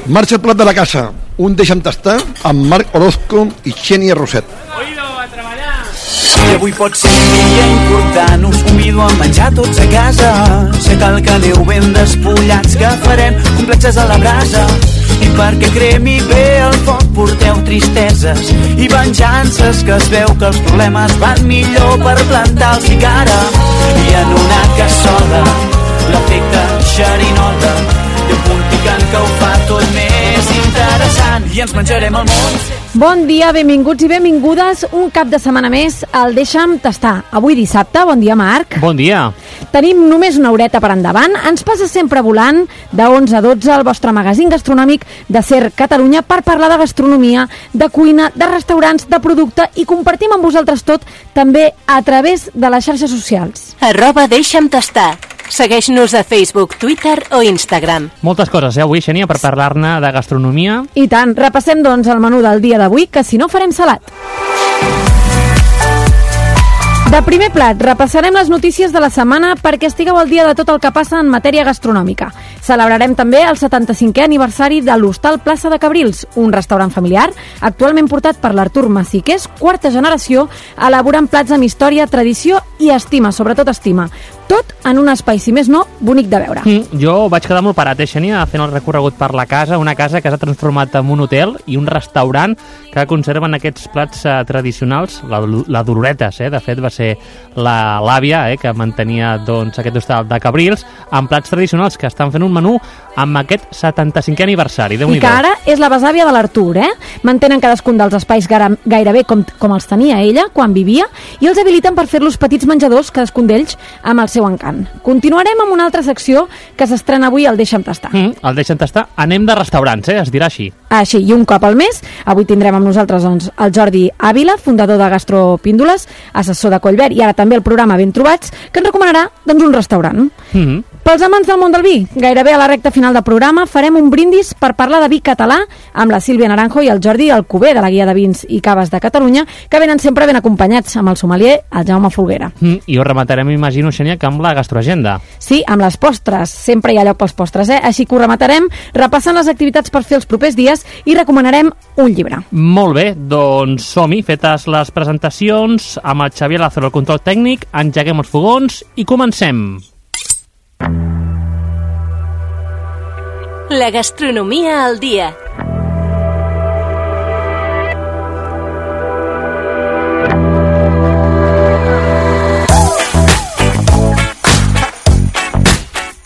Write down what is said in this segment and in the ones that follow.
Marxa el plat de la casa, un deixa'm tastar amb Marc Orozco i Xènia Roset. Oído, a treballar! I avui pot ser un dia important, us convido a menjar tots a casa. Sé que el que aneu ben despullats, que farem complexes a la brasa. I perquè cremi bé el foc porteu tristeses i venjances, que es veu que els problemes van millor per plantar-los i cara. I en una cassola l'efecte xerinola i un punt picant que ho fa tot més interessant, i ens menjarem el món. Bon dia, benvinguts i benvingudes un cap de setmana més al Deixa'm Tastar. Avui dissabte, bon dia Marc. Bon dia. Tenim només una horeta per endavant. Ens passa sempre volant de 11 a 12 el vostre magazín gastronòmic de SER Catalunya per parlar de gastronomia, de cuina, de restaurants, de producte, i compartim amb vosaltres tot també a través de les xarxes socials. @Deixa'm Tastar. Segueix-nos a Facebook, Twitter o Instagram. Moltes coses, avui, Xènia, per parlar-ne de gastronomia. I tant, repassem doncs el menú del dia d'avui, que si no farem salat. De primer plat, repassarem les notícies de la setmana perquè estigueu al dia de tot el que passa en matèria gastronòmica. Celebrarem també el 75è aniversari de l'Hostal Plaça de Cabrils, un restaurant familiar actualment portat per l'Artur Massiqués, quarta generació, elaborant plats amb història, tradició i estima, sobretot estima. Tot en un espai, si més no, bonic de veure. Jo vaig quedar molt parat, Xènia, fent el recorregut per la casa, una casa que s'ha transformat en un hotel i un restaurant que conserven aquests plats tradicionals, la Doloretes, de fet va ser l'àvia que mantenia doncs, aquest hostal de Cabrils, amb plats tradicionals, que estan fent un menú amb aquest 75è aniversari. I que ara és la besàvia de l'Artur, Mantenen cadascun dels espais gairebé com els tenia ella quan vivia i els habiliten per fer-los petits menjadors, cadascun d'ells amb el seu encant. Continuarem amb una altra secció que s'estrena avui al Deixa'm Tastar. El Deixa'm Tastar, anem de restaurants, es dirà així. Així, i un cop al mes, avui tindrem amb nosaltres doncs, el Jordi Ávila, fundador de Gastropíndoles, assessor de Collbert, i ara també el programa Ben Trobats, que ens recomanarà doncs, un restaurant. Pels amants del món del vi, gairebé a la recta final del programa farem un brindis per parlar de vi català amb la Sílvia Naranjo i el Jordi Alcover, de la Guia de Vins i Caves de Catalunya, que venen sempre ben acompanyats amb el sommelier, el Jaume Folguera. I ho rematarem, imagino, Xènia, que amb la gastroagenda. Sí, amb les postres. Sempre hi ha lloc pels postres, Així que ho rematarem repassant les activitats per fer els propers dies i recomanarem un llibre. Molt bé, doncs som-hi, fetes les presentacions, amb el Xavier Lázaro, el control tècnic, engeguem els fogons i comencem. La gastronomia al dia.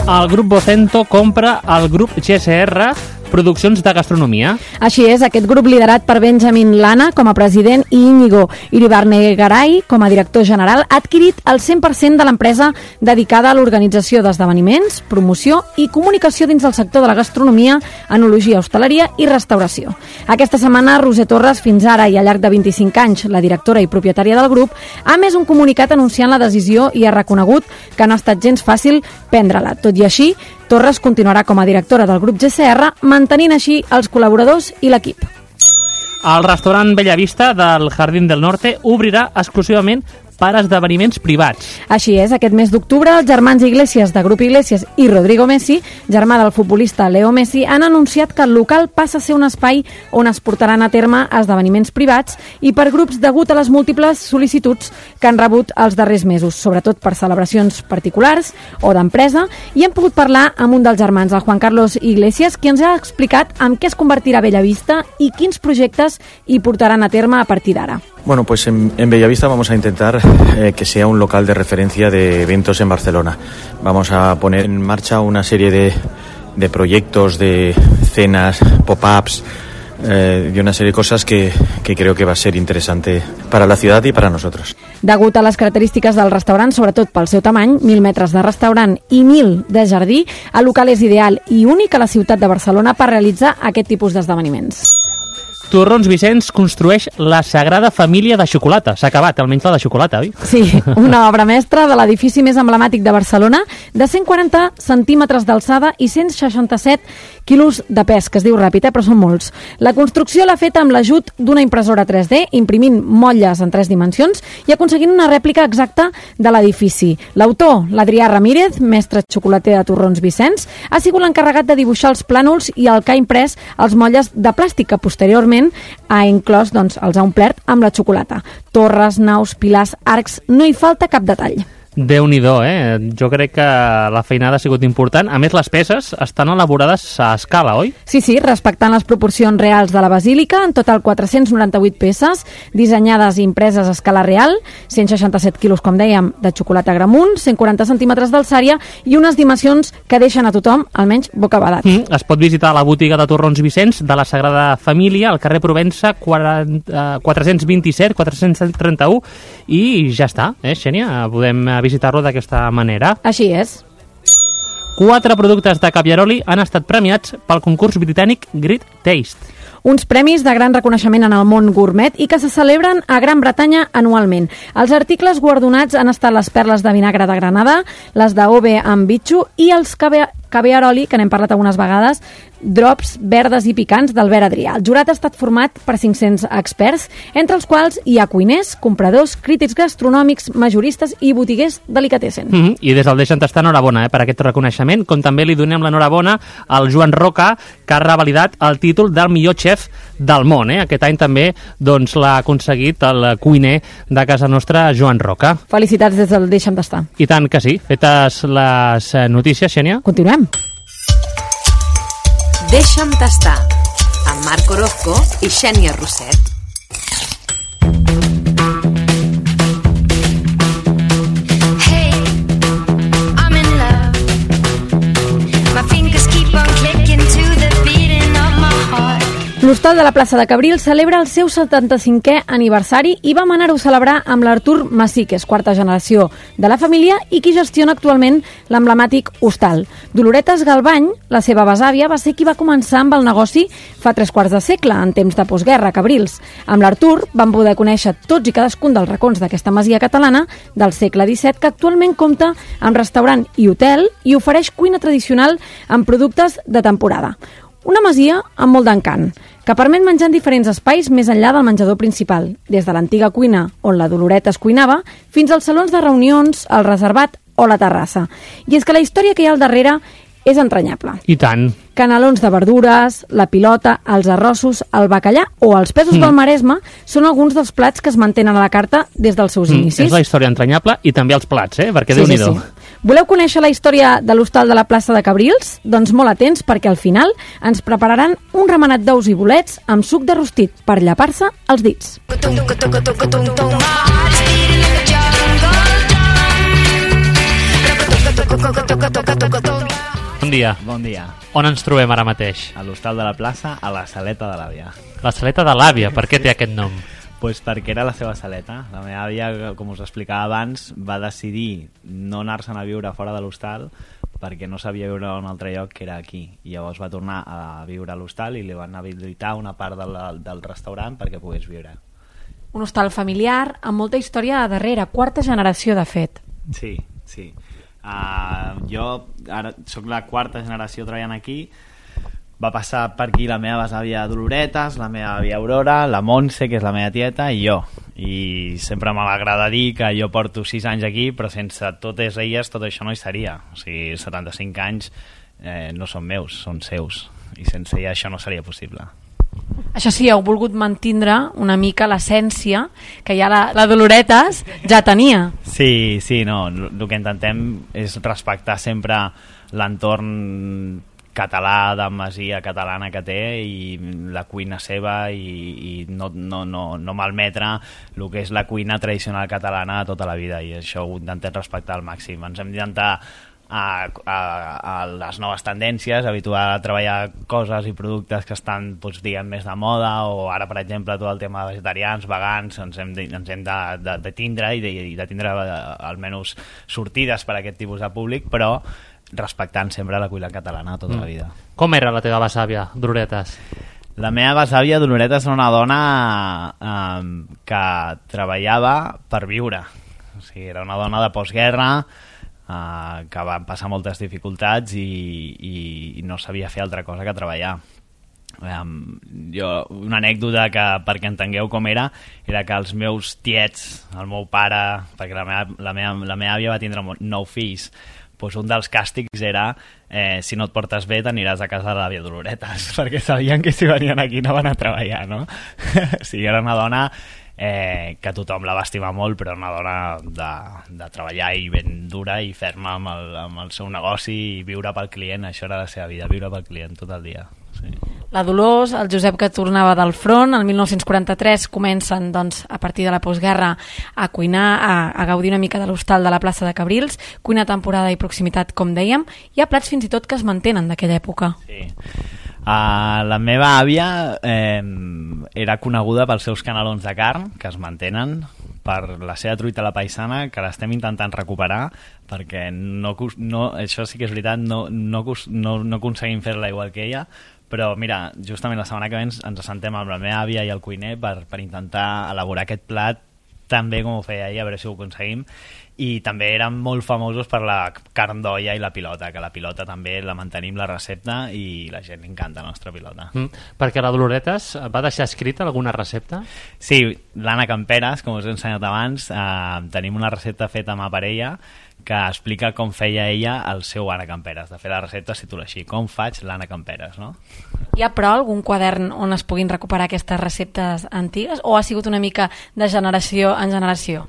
El grup Vocento compra el grup GSR Produccions de Gastronomia. Així és, aquest grup liderat per Benjamin Lana com a president i Íñigo Iribarne-Garay com a director general ha adquirit el 100% de l'empresa dedicada a l'organització d'esdeveniments, promoció i comunicació dins del sector de la gastronomia, enologia, hostaleria i restauració. Aquesta setmana, Roser Torres, fins ara i al llarg de 25 anys, la directora i propietària del grup, ha emès un comunicat anunciant la decisió i ha reconegut que no ha estat gens fàcil prendre-la. Tot i així, Torres continuarà com a directora del grup GSR, mantenint així els col·laboradors i l'equip. El restaurant Bellavista del Jardín del Norte obrirà exclusivament per esdeveniments privats. Així és, aquest mes d'octubre, els germans Iglesias de Grup Iglesias i Rodrigo Messi, germà del futbolista Leo Messi, han anunciat que el local passa a ser un espai on es portaran a terme esdeveniments privats i per grups degut a les múltiples sol·licituds que han rebut els darrers mesos, sobretot per celebracions particulars o d'empresa, i hem pogut parlar amb un dels germans, el Juan Carlos Iglesias, qui ens ha explicat en què es convertirà Bellavista i quins projectes hi portaran a terme a partir d'ara. Bueno, pues en Bellavista vamos a intentar que sea un local de referencia de eventos en Barcelona. Vamos a poner en marcha una serie de proyectos, de cenas, pop-ups, y una serie de cosas que creo que va a ser interesante para la ciudad y para nosotros. Degut a les característiques del restaurant, sobretot pel seu tamany, 1.000 metres de restaurant i 1.000 de jardí, el local és ideal i únic a la ciutat de Barcelona per realitzar aquest tipus d'esdeveniments. Torrons Vicenç construeix la Sagrada Família de xocolata. S'ha acabat, almenys la de xocolata, oi? Sí, una obra mestra de l'edifici més emblemàtic de Barcelona, de 140 centímetres d'alçada i 167 quilos de pes, que es diu ràpid, però són molts. La construcció l'ha fet amb l'ajut d'una impressora 3D, imprimint motlles en 3 dimensions i aconseguint una rèplica exacta de l'edifici. L'autor, l'Adrià Ramírez, mestre xocolater de Torrons Vicenç, ha sigut l'encarregat de dibuixar els plànols i el que ha imprès els motlles de plàstic, que posteriorment ha inclòs, els ha omplert amb la xocolata. Torres, naus, pilars, arcs, no hi falta cap detall. Déu-n'hi-do, Jo crec que la feinada ha sigut important. A més, les peces estan elaborades a escala, oi? Sí, respectant les proporcions reals de la basílica, en total 498 peces, dissenyades i impreses a escala real, 167 quilos, com dèiem, de xocolata Gramunt, 140 centímetres d'alçària i unes dimensions que deixen a tothom, almenys, bocabadat. Es pot visitar la botiga de Torrons Vicenç de la Sagrada Família, al carrer Provença 427-431, i ja està, Xènia? Podem visitar-lo d'aquesta manera. Així és. 4 productes de Caviaroli han estat premiats pel concurs britànic Great Taste. Uns premis de gran reconeixement en el món gourmet i que se celebren a Gran Bretanya anualment. Els articles guardonats han estat les perles de vinagre de Granada, les d'Ove amb bitxo i els Caviaroli, que n'hem parlat algunes vegades, drops verdes i picants d'Albert Adrià. El jurat ha estat format per 500 experts, entre els quals hi ha cuiners, compradors, crítics gastronòmics, majoristes i botiguers delicatessen. I des del Deixa'm Tastar, enhorabona per aquest reconeixement, com també li donem l'enhorabona al Joan Roca, que ha revalidat el títol del millor xef del món. Aquest any també l'ha aconseguit el cuiner de casa nostra, Joan Roca. Felicitats des del Deixa'm Tastar. I tant que sí. Fetes les notícies, Xènia? Continuem. Deixa'm tastar, amb Marc Orozco i Xènia Roset. Hey, I'm in love. My fingers keep on clicking to the beating of my heart. L'Hostal de la plaça de Cabrils celebra el seu 75è aniversari i vam anar-ho a celebrar amb l'Artur Massí, que és quarta generació de la família i qui gestiona actualment l'emblemàtic hostal. Doloretes Galbany, la seva besàvia, va ser qui va començar amb el negoci fa 3/4 de segle, en temps de postguerra, a Cabrils. Amb l'Artur vam poder conèixer tots i cadascun dels racons d'aquesta masia catalana del segle XVII, que actualment compta amb restaurant i hotel i ofereix cuina tradicional amb productes de temporada. Una masia amb molt d'encant, que permet menjar en diferents espais més enllà del menjador principal, des de l'antiga cuina on la Doloreta es cuinava, fins als salons de reunions, el reservat o la terrassa. I és que la història que hi ha al darrere és entranyable. I tant. Canelons de verdures, la pilota, els arrossos, el bacallà o els pèsols del Maresme són alguns dels plats que es mantenen a la carta des dels seus inicis. És la història entranyable i també els plats, perquè Déu-n'hi-do. Sí. Voleu conèixer la història de l'Hostal de la plaça de Cabrils? Doncs molt atents, perquè al final ens prepararan un remenat d'ous i bolets amb suc de rostit per llepar-se els dits. Bon dia. Bon dia. On ens trobem ara mateix? A l'Hostal de la plaça, a la Saleta de l'Àvia. La Saleta de l'Àvia, per què té aquest nom? Pues perquè era la seva saleta. La meva àvia, com us explicava abans, va decidir no anar-se'n a viure fora de l'hostal perquè no sabia viure a un altre lloc que era aquí. I llavors va tornar a viure a l'hostal i li van habilitar una part del restaurant perquè pogués viure. Un hostal familiar amb molta història a darrere, quarta generació de fet. Sí. Jo ara soc la quarta generació treballant aquí. Va passar per aquí la meva besàvia Doloretes, la meva àvia Aurora, la Montse, que és la meva tieta, i jo. I sempre m'agrada dir que jo porto 6 anys aquí, però sense totes elles tot això no hi seria. O sigui, 75 anys no són meus, són seus. I sense elles això no seria possible. Això sí, heu volgut mantindre una mica l'essència que ja la Doloretes ja tenia. Sí, no. El que intentem és respectar sempre l'entorn català, de masia catalana que té i la cuina seva i no malmetre el que és la cuina tradicional catalana de tota la vida, i això ho intentem respectar al màxim. Ens hem d'intentar a les noves tendències, habituar a treballar coses i productes que estan, diguem, més de moda, o ara, per exemple, tot el tema de vegetarians, vegans, ens hem de tindre i de tindre almenys sortides per a aquest tipus de públic, però respectant sempre la cuina catalana tota la vida. Com era la teva besàvia, Doloretes? La meva besàvia Doloreta és una dona que treballava per viure. O sigui, era una dona de postguerra que va passar moltes dificultats i no sabia fer altra cosa que treballar. Una anècdota que, perquè entengueu com era que els meus tiets, el meu pare, perquè la meva àvia va tindre 9 fills, doncs un dels càstigs era si no et portes bé t'aniràs a casa de l'àvia Doloretes, perquè sabien que si venien aquí no van a treballar, no? O sigui, era una dona que tothom la va estimar molt, però una dona de treballar i ben dura i ferma amb el seu negoci i viure pel client. Això era la seva vida, viure pel client tot el dia. Sí. La Dolors, el Josep que tornava del front, el 1943 comencen doncs, a partir de la postguerra a cuinar, a gaudir una mica de l'hostal de la plaça de Cabrils, cuina temporada i proximitat, com dèiem. Hi ha plats fins i tot que es mantenen d'aquella època. Sí. La meva àvia era coneguda pels seus canelons de carn, que es mantenen, per la seva truita a la paisana, que l'estem intentant recuperar, perquè això sí que és veritat, no aconseguim fer-la igual que ella, però mira, justament la setmana que ve ens assentem amb la meva àvia i el cuiner per intentar elaborar aquest plat tan bé com ho feia ella, a veure si ho aconseguim. I també eren molt famosos per la carn d'olla i la pilota, que la pilota també la mantenim, la recepta, i la gent li encanta la nostra pilota. Perquè la Doloretes va deixar escrita alguna recepta? Sí, l'Anna Camperes, com us he ensenyat abans, tenim una recepta feta amb parella que explica com feia ella el seu Anna Camperes. De fet, la recepta es titula així, com faig l'Anna Camperes, no? Hi ha, però, algun quadern on es puguin recuperar aquestes receptes antigues, o ha sigut una mica de generació en generació?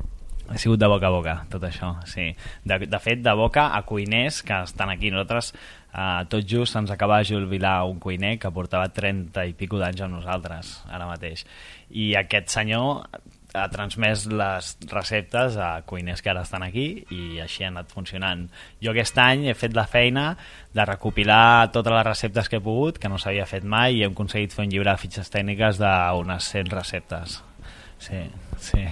Ha sigut de boca a boca, tot això, sí. De fet, de boca a cuiners que estan aquí. Nosaltres, tot just, ens acaba de jubilar un cuiner que portava 30 i pico d'anys amb nosaltres, ara mateix. I aquest senyor ha transmès les receptes a cuiners que ara estan aquí i així ha anat funcionant. Jo aquest any he fet la feina de recopilar totes les receptes que he pogut, que no s'havia fet mai, i hem aconseguit fer un llibre de fitxes tècniques d'unes 100 receptes. Sí, sí.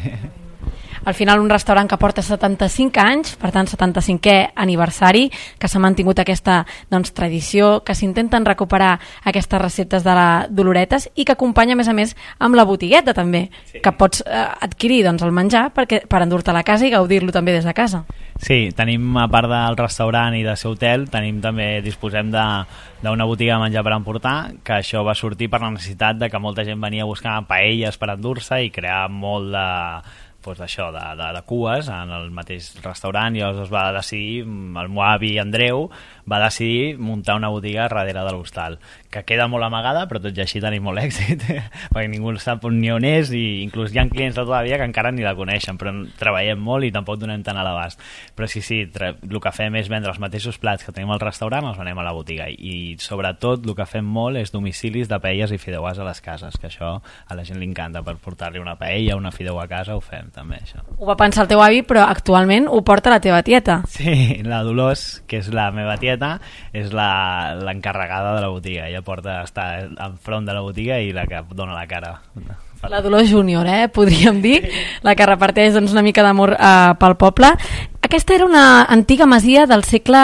Al final, un restaurant que porta 75 anys, per tant 75è aniversari, que s'ha mantingut aquesta tradició, que s'intenten recuperar aquestes receptes de la Doloretes i que acompanya, a més, amb la botigueta també, sí, que pots adquirir el menjar per endur-te a la casa i gaudir-lo també des de casa. Sí, tenim, a part del restaurant i de ser hotel, disposem d'una botiga de menjar per emportar, que això va sortir per la necessitat de que molta gent venia a buscar paelles per endur-se i crear molt de cues en el mateix restaurant, i llavors es va decidir, el meu avi Andreu va decidir muntar una botiga darrere de l'hostal, que queda molt amagada, però tot i així tenim molt èxit, perquè ningú sap ni on és, i inclús hi ha clients de tota la vida que encara ni la coneixen, però treballem molt i tampoc donem tant a l'abast. Però sí, el que fem és vendre els mateixos plats que tenim al restaurant, els venem a la botiga, i sobretot el que fem molt és domicilis de paelles i fideuàs a les cases, que això a la gent li encanta, per portar-li una paella o una fideu a casa ho fem també, això. Ho va pensar el teu avi, però actualment ho porta la teva tieta. Sí, la Dolors, que és la meva tieta, és l'encarregada de la botiga. Ella està enfront de la botiga i la que dona la cara. La Dolors Júnior, podríem dir, la que reparteix una mica d'amor pel poble. Aquesta era una antiga masia del segle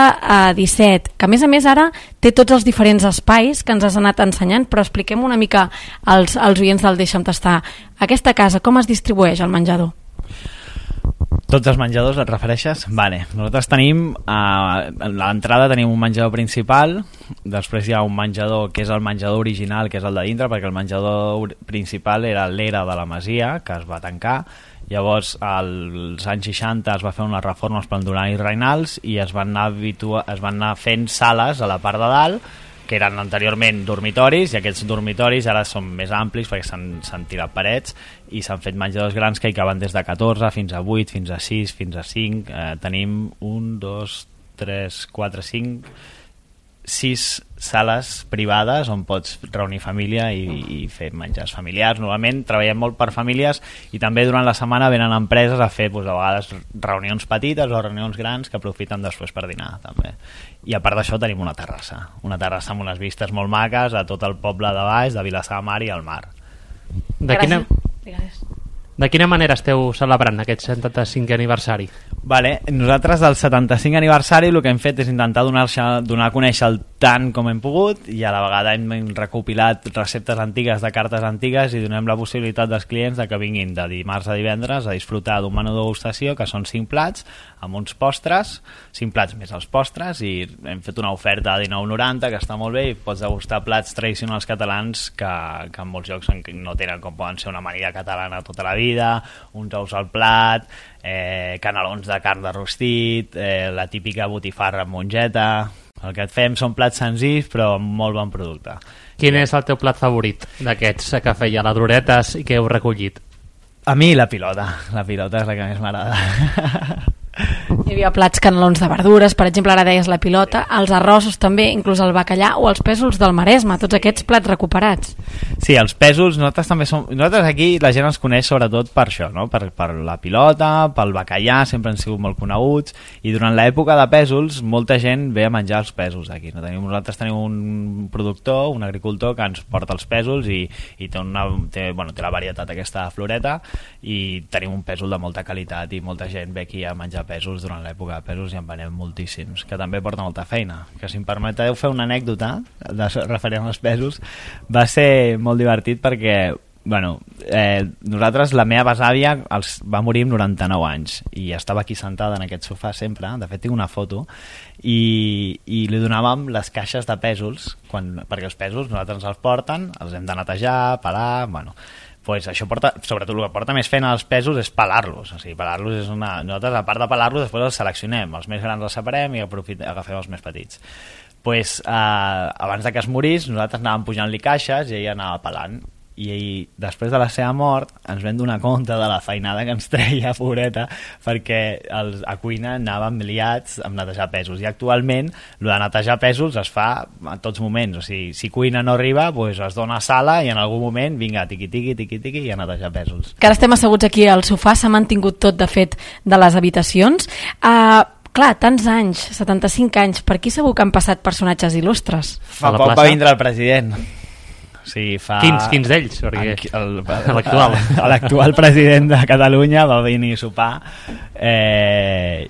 XVII, que a més ara té tots els diferents espais que ens has anat ensenyant, però expliquem una mica als oients del Deixa'm Tastar. Aquesta casa, com es distribueix el menjador? Tots els menjadors et refereixes? Vale. Nosaltres tenim, a l'entrada tenim un menjador principal, després hi ha un menjador que és el menjador original, que és el de dintre, perquè el menjador principal era l'era de la masia, que es va tancar. Llavors, als anys 60 es va fer unes reformes per Duran i Reinals i es van anar fent sales a la part de dalt, que eren anteriorment dormitoris, i aquests dormitoris ara són més amplis perquè s'han tirat parets i s'han fet menjadors grans que hi caben des de 14 fins a 8, fins a 6, fins a 5. Tenim 1, 2, 3, 4, 5, 6 sales privades on pots reunir família i fer menjars familiars. Normalment treballem molt per famílies i també durant la setmana venen empreses a fer a vegades reunions petites o reunions grans que aprofiten després per dinar també. I a part d'això tenim una terrassa amb unes vistes molt maques a tot el poble de baix, de Vilassar de Mar i al mar. De quina manera esteu celebrant aquest 75è aniversari? Nosaltres del 75 aniversari el que hem fet és intentar donar a conèixer tant com hem pogut i a la vegada hem recopilat receptes antigues de cartes antigues i donem la possibilitat dels clients de que vinguin de dimarts a divendres a disfrutar d'un menú de degustació que són 5 plats amb uns postres, 5 plats més els postres, i hem fet una oferta a 19,90 que està molt bé i pots degustar plats tradicionals catalans que en molts llocs no tenen, com poden ser una amanida catalana tota la vida, uns ous al plat, canelons de carn de rostit, la típica botifarra amb mongeta. El que et fem són plats senzills però amb molt bon producte. Quin és el teu plat favorit d'aquests que feia la Duretes i que heu recollit? A mi la pilota és la que més m'agrada. Hi havia plats canelons de verdures, per exemple, ara deies la pilota, els arrossos també, inclús el bacallà o els pèsols del Maresme, tots aquests plats recuperats. Sí, els pèsols, nosaltres també som... Nosaltres aquí la gent ens coneix sobretot per això, no? Per la pilota, pel bacallà, sempre han sigut molt coneguts, i durant l'època de pèsols molta gent ve a menjar els pèsols aquí. Nosaltres tenim un productor, un agricultor que ens porta els pèsols i té la varietat aquesta de floreta, i tenim un pèsol de molta qualitat i molta gent ve aquí a menjar pèsols durant l'època de pèsols i en venem moltíssims, que també porta molta feina. Que si em permeteu fer una anècdota referent als pèsols, va ser molt divertit perquè nosaltres, la meva besàvia va morir amb 99 anys i estava aquí sentada en aquest sofà sempre, de fet tinc una foto, i li donàvem les caixes de pèsols perquè els pèsols nosaltres ens els porten, els hem de netejar, pelar, pues això sobretot el que porta més feina als pèsols és pelar-los. O sigui, pelar-los és nosaltres, a part de pelar-los, després els seleccionem, els més grans els separem i agafem els més petits. Pues, abans de que es morís, nosaltres anàvem pujant-li caixes i ella anava pelant. I després de la seva mort ens vam donar compte de la feinada que ens treia, pobreta, perquè a cuina anàvem liats amb netejar pèsols, i actualment el de netejar pèsols es fa a tots moments. O sigui, si cuina no arriba, pues es dona a sala i en algun moment vinga, tiqui-tiqui i a netejar pèsols. Que ara estem asseguts aquí al sofà, s'ha mantingut tot de fet de les habitacions. Clar, tants anys, 75 anys, per aquí segur que han passat personatges il·lustres. Fa poc va vindre el president. Sí, Quins d'ells? L'actual president de Catalunya va venir a sopar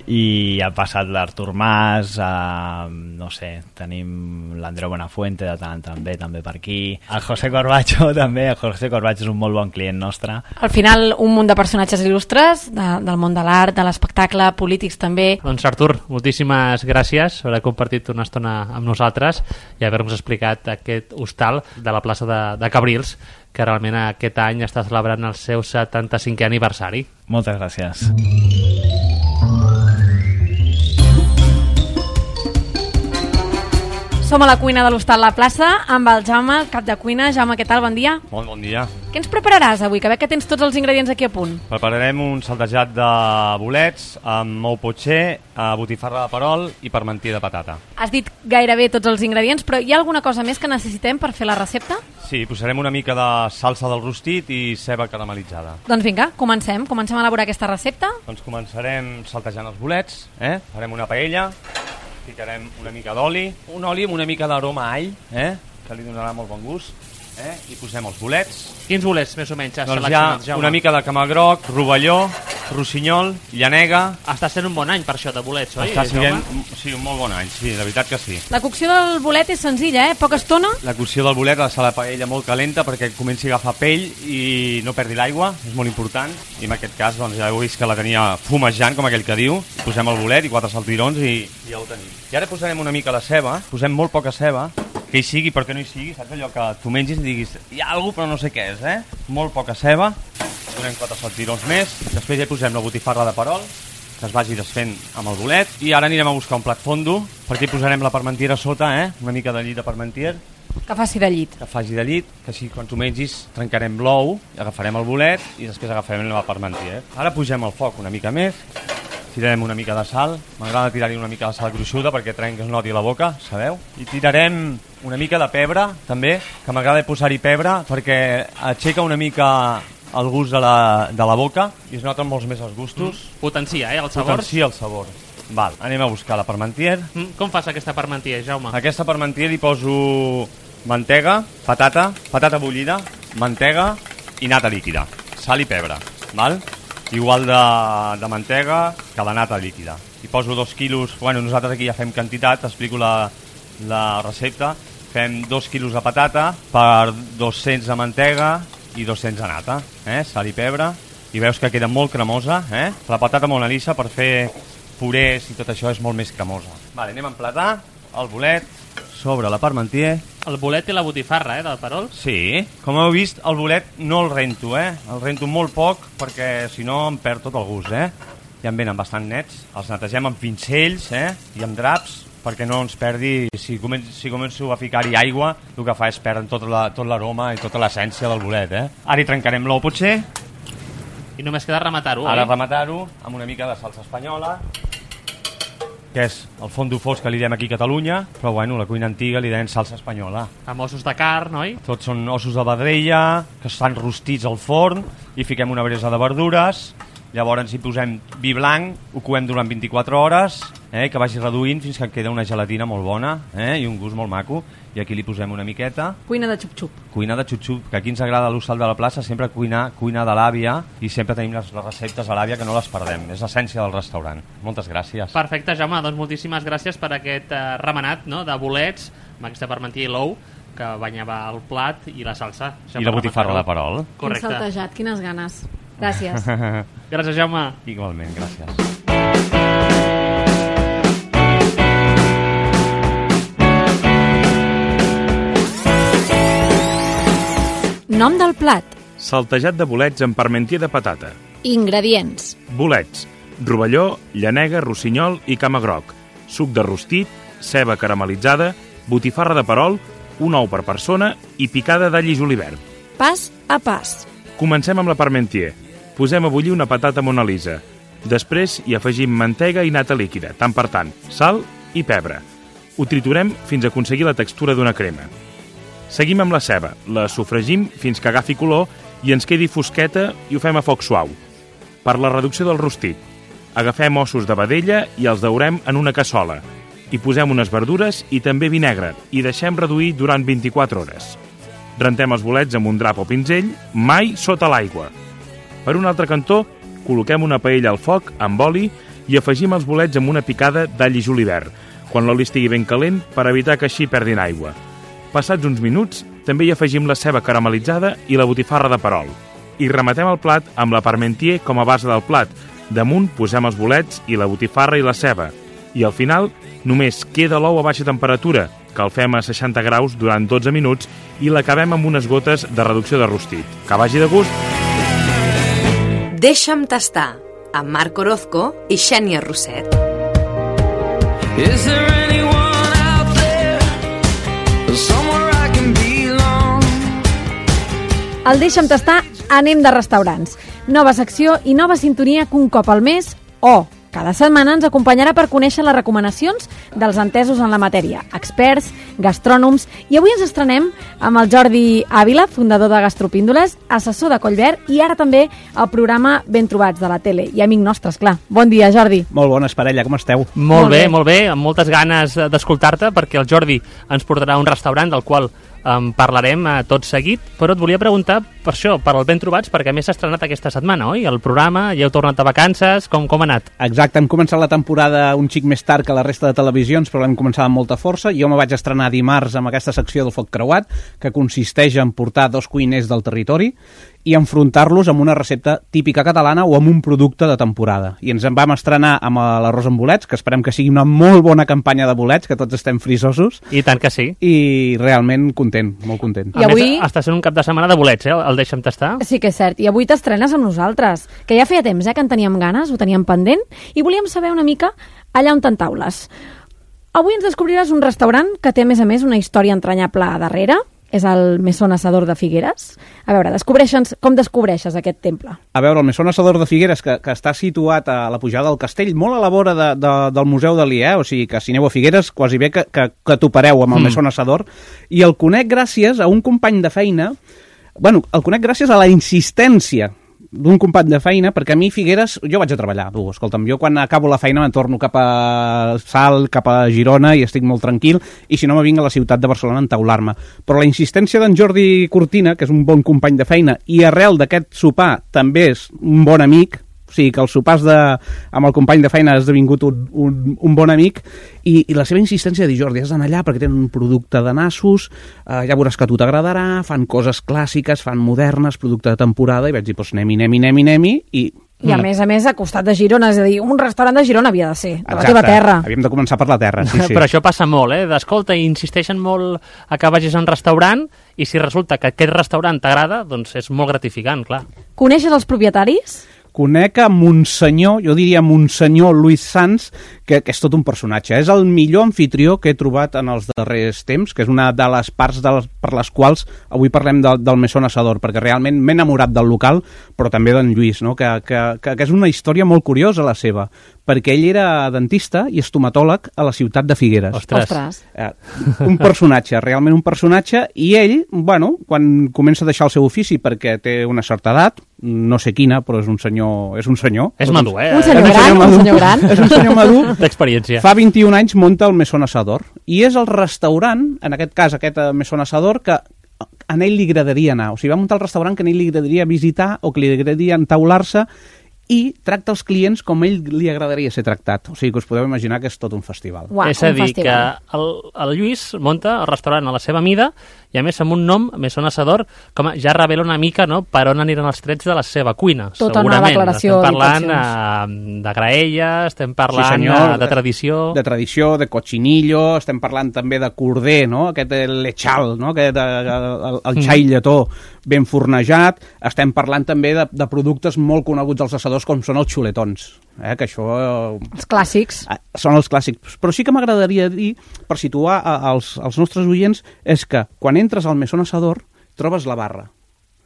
i ha passat l'Artur Mas, no sé, tenim l'Andreu Buenafuente de tant també per aquí, el José Corbacho també. El José Corbacho és un molt bon client nostre. Al final un munt de personatges il·lustres del món de l'art, de l'espectacle, polítics també. Doncs Artur, moltíssimes gràcies per haver compartit una estona amb nosaltres i haver-nos explicat aquest hostal de la plaça de Cabrils, que realment aquest any està celebrant el seu 75è aniversari. Moltes gràcies. Som a la cuina de l'Hostal La Plaça amb el Jaume, el cap de cuina. Jaume, què tal? Bon dia. Molt bon dia. Què ens prepararàs avui? Que veig que tens tots els ingredients aquí a punt. Prepararem un saltejat de bolets amb ou potxer, botifarra de perol i parmentier de patata. Has dit gairebé tots els ingredients, però hi ha alguna cosa més que necessitem per fer la recepta? Sí, posarem una mica de salsa del rostit i ceba caramelitzada. Doncs vinga, comencem a elaborar aquesta recepta. Doncs començarem saltejant els bolets, farem una paella, ficarem una mica d'oli, un oli amb una mica d'aroma a all, que li donarà molt bon gust, i posem els bolets. Quins bolets més o menys has doncs seleccionat, Jaume? Una mica de camagroc, rovelló, rossinyol, llanega. Està sent un bon any per això de bolets, oi? Està sent un molt bon any, sí, de veritat que sí. La cocció del bolet és senzilla, Poca estona. La cocció del bolet ha de ser la paella molt calenta perquè comenci a agafar pell i no perdi l'aigua, és molt important. I en aquest cas doncs, ja heu vist que la tenia fumejant, com aquell que diu. Posem el bolet i 4 saltirons i ja ho tenim. I ara posarem una mica de ceba, posem molt poca ceba, que hi sigui perquè no hi sigui, saps allò que tu mengis i diguis hi ha alguna cosa però no sé què és, Molt poca ceba, posem 4 saltirons més, després ja posem la botifarra de perol, que es vagi desfent amb el bolet, i ara anirem a buscar un plat fondo, perquè hi posarem la parmentiera a sota, una mica de llit de parmentier. Que faci de llit. Que faci de llit, que així quan tu mengis trencarem l'ou, agafarem el bolet i després agafarem la parmentier. Ara pugem el foc una mica més, tirarem una mica de sal, m'agrada tirar-hi una mica de sal gruixuda perquè trenca que es noti la boca, sabeu? I tirarem una mica de pebre, també, que m'agrada posar-hi pebre perquè aixeca una mica el gust de la boca i es noten molts més els gustos. Potencia, el sabor. Potencia el sabor. Val, anem a buscar la parmentier. Com fas aquesta parmentier, Jaume? Aquesta parmentier hi poso mantega, patata bullida, mantega i nata líquida, sal i pebre, val? Igual de mantega que de nata líquida. Hi poso 2 quilos, nosaltres aquí ja fem quantitat, explico la la recepta, fem 2 quilos de patata per 200 de mantega i 200 de nata, sal i pebre, i veus que queda molt cremosa, la patata Mona Lisa per fer purés i tot això és molt més cremosa. Vale, anem a emplatar el bolet sobre la parmentier. El bolet i la botifarra, del perol? Sí, com heu vist, el bolet no el rento, el rento molt poc perquè si no em perd tot el gust, Ja en venen bastant nets, els netegem amb pincells i amb draps perquè no ens perdi, si començo a ficar-hi aigua, el que fa és perdre tot l'aroma i tota l'essència del bolet, Ara hi trencarem l'ou potser. I només queda rematar-ho, Ara rematar-ho amb una mica de salsa espanyola, que és el fondo fosc que li diem aquí a Catalunya, però bueno, la cuina antiga li deien salsa espanyola. Amb ossos de carn, oi? Tots són ossos de vedella, que estan rostits al forn, i fiquem una bresa de verdures, llavors hi posem vi blanc, ho coem durant 24 hores, que vagi reduint fins que queda una gelatina molt bona i un gust molt maco, i aquí li posem una miqueta. Cuina de xup-xup. Cuina de xup-xup, que aquí ens agrada a l'Hostal de la Plaça sempre cuina de l'àvia, i sempre tenim les receptes a l'àvia que no les perdem, és l'essència del restaurant. Moltes gràcies. Perfecte, Jaume, doncs moltíssimes gràcies per aquest remenat de bolets, amb aquesta parmentier i l'ou, que banyava el plat i la salsa. I la botifarra de perol. Correcte. Quin saltejat, quines ganes. Gràcies. Gràcies, Jaume. Igualment, gràcies. Nom del plat. Saltejat de bolets amb parmentier de patata. Ingredients. Bolets, rovelló, llanega, rossinyol i camagroc, suc de rostit, ceba caramelitzada, botifarra de perol, un ou per persona i picada d'all i julivert. Pas a pas. Comencem amb la parmentier. Posem a bullir una patata Mona Lisa. Després hi afegim mantega i nata líquida, tant per tant, sal i pebre. Ho triturem fins a aconseguir la textura d'una crema. Seguim amb la ceba, la sofregim fins que agafi color i ens quedi fosqueta i ho fem a foc suau. Per la reducció del rostit, agafem ossos de vedella i els daurem en una cassola. Hi posem unes verdures i també vi negre i deixem reduir durant 24 hores. Rentem els bolets amb un drap o pinzell, mai sota l'aigua. Per un altre cantó, col·loquem una paella al foc amb oli i afegim els bolets amb una picada d'all i julivert, quan l'oli estigui ben calent per evitar que així perdin aigua. Passats uns minuts, també hi afegim la ceba caramelitzada i la botifarra de perol. I rematem el plat amb la parmentier com a base del plat. Damunt posem els bolets i la botifarra i la ceba. I al final només queda l'ou a baixa temperatura, que el fem a 60 graus durant 12 minuts i l'acabem amb unes gotes de reducció de rostit. Que vagi de gust! Deixa'm tastar, amb Marc Orozco i Xènia Roset. Is there anyone out there, somewhere I can belong? Al Deixa'm tastar anem de restaurants. Nova secció i nova sintonia que un cop al mes cada setmana ens acompanyarà per conèixer les recomanacions dels entesos en la matèria, experts, gastrònoms, i avui ens estrenem amb el Jordi Ávila, fundador de Gastropíndoles, assessor de Collverd i ara també al programa Ben Trobats de la tele, i amic nostre, esclar. Bon dia, Jordi. Molt bones, parella, com esteu? Molt bé, amb moltes ganes d'escoltar-te, perquè el Jordi ens portarà a un restaurant del qual parlarem tot seguit, però et volia preguntar per això, per el Ben Trobats, perquè a més s'ha estrenat aquesta setmana, oi? El programa, ja heu tornat a vacances, com ha anat? Exacte, hem començat la temporada un xic més tard que la resta de televisions, però l'hem començat amb molta força. Jo me vaig estrenar dimarts amb aquesta secció del Foc Creuat, que consisteix en portar 2 cuiners del territori i enfrontar-los amb una recepta típica catalana o amb un producte de temporada. I ens en vam estrenar amb l'arròs amb bolets, que esperem que sigui una molt bona campanya de bolets, que tots estem frisosos. I tant que sí. I realment content, molt content. I avui està sent un cap de setmana de bolets, el Deixa'm tastar. Sí que és cert, i avui t'estrenes amb nosaltres, que ja feia temps que en teníem ganes, ho teníem pendent, i volíem saber una mica allà on t'entaules. Avui ens descobriràs un restaurant que té, a més, una història entranyable a darrere. És el Mesón Asador de Figueres. A veure, com descobreixes aquest temple? A veure, el Mesón Asador de Figueres, que està situat a la pujada del castell, molt a la vora del Museu Dalí, o sigui que si aneu a Figueres, quasi bé que topareu amb el Mesón Asador, i el conec gràcies a un company de feina, el conec gràcies a la insistència d'un company de feina, perquè a mi Figueres, jo vaig a treballar, escolta'm, jo quan acabo la feina me'n torno cap a Salt, cap a Girona i estic molt tranquil, i si no me vinc a la ciutat de Barcelona a entaular-me. Però la insistència d'en Jordi Cortina, que és un bon company de feina, i arrel d'aquest sopar també és un bon amic, sigui que els sopars amb el company de feina ha esdevingut un bon amic, i la seva insistència de dir, Jordi, has d'anar allà perquè tenen un producte de nassos, ja veuràs que a tu t'agradarà, fan coses clàssiques, fan modernes, producte de temporada, i vaig dir, doncs anem-hi, I a més, a costat de Girona, és a dir, un restaurant de Girona havia de ser, de la teva terra. Havíem de començar per la terra, sí. Però això passa molt, d'escolta, i insisteixen molt a que vagis a un restaurant, i si resulta que aquest restaurant t'agrada, doncs és molt gratificant, clar. Coneixes els propietaris? Conec a Monsenyor, jo diria Monsenyor Luis Sanz, que és tot un personatge. És el millor anfitrió que he trobat en els darrers temps, que és una de les parts per les quals avui parlem del Mesón Asador, perquè realment m'he enamorat del local, però també d'en Lluís, no? que és una història molt curiosa la seva, perquè ell era dentista i estomatòleg a la ciutat de Figueres. Ostres. Un personatge, realment un personatge, i ell, bueno, quan comença a deixar el seu ofici perquè té una certa edat, no sé quina, però és un senyor. És madur, Un senyor gran. És un senyor madur. D'experiència. Fa 21 anys munta el Mesón Asador, i és el restaurant, en aquest cas aquest Mesón Asador, que a ell li agradaria anar. O sigui, va muntar el restaurant que a ell li agradaria visitar o que li agradaria entaular-se, i tracta els clients com ell li agradaria ser tractat. O sigui que us podeu imaginar que és tot un festival. Uau, és a dir, que el Lluís munta el restaurant a la seva mida, i a més amb un nom, Mesón Asador, com ja revela una mica, no?, per on aniran els trets de la seva cuina. Tota segurament. una declaració estem parlant de graella, estem parlant sí, senyor, de tradició. De tradició, de cochinillo, estem parlant també de corder, no?, aquest lechal, no?, el xai lletó ben fornejat. Estem parlant també de productes molt coneguts als assadors, com són els xuletons, que això... Els clàssics. Són els clàssics. Però sí que m'agradaria dir, per situar als nostres oients, és que quan entres al Mesón Asador trobes la barra.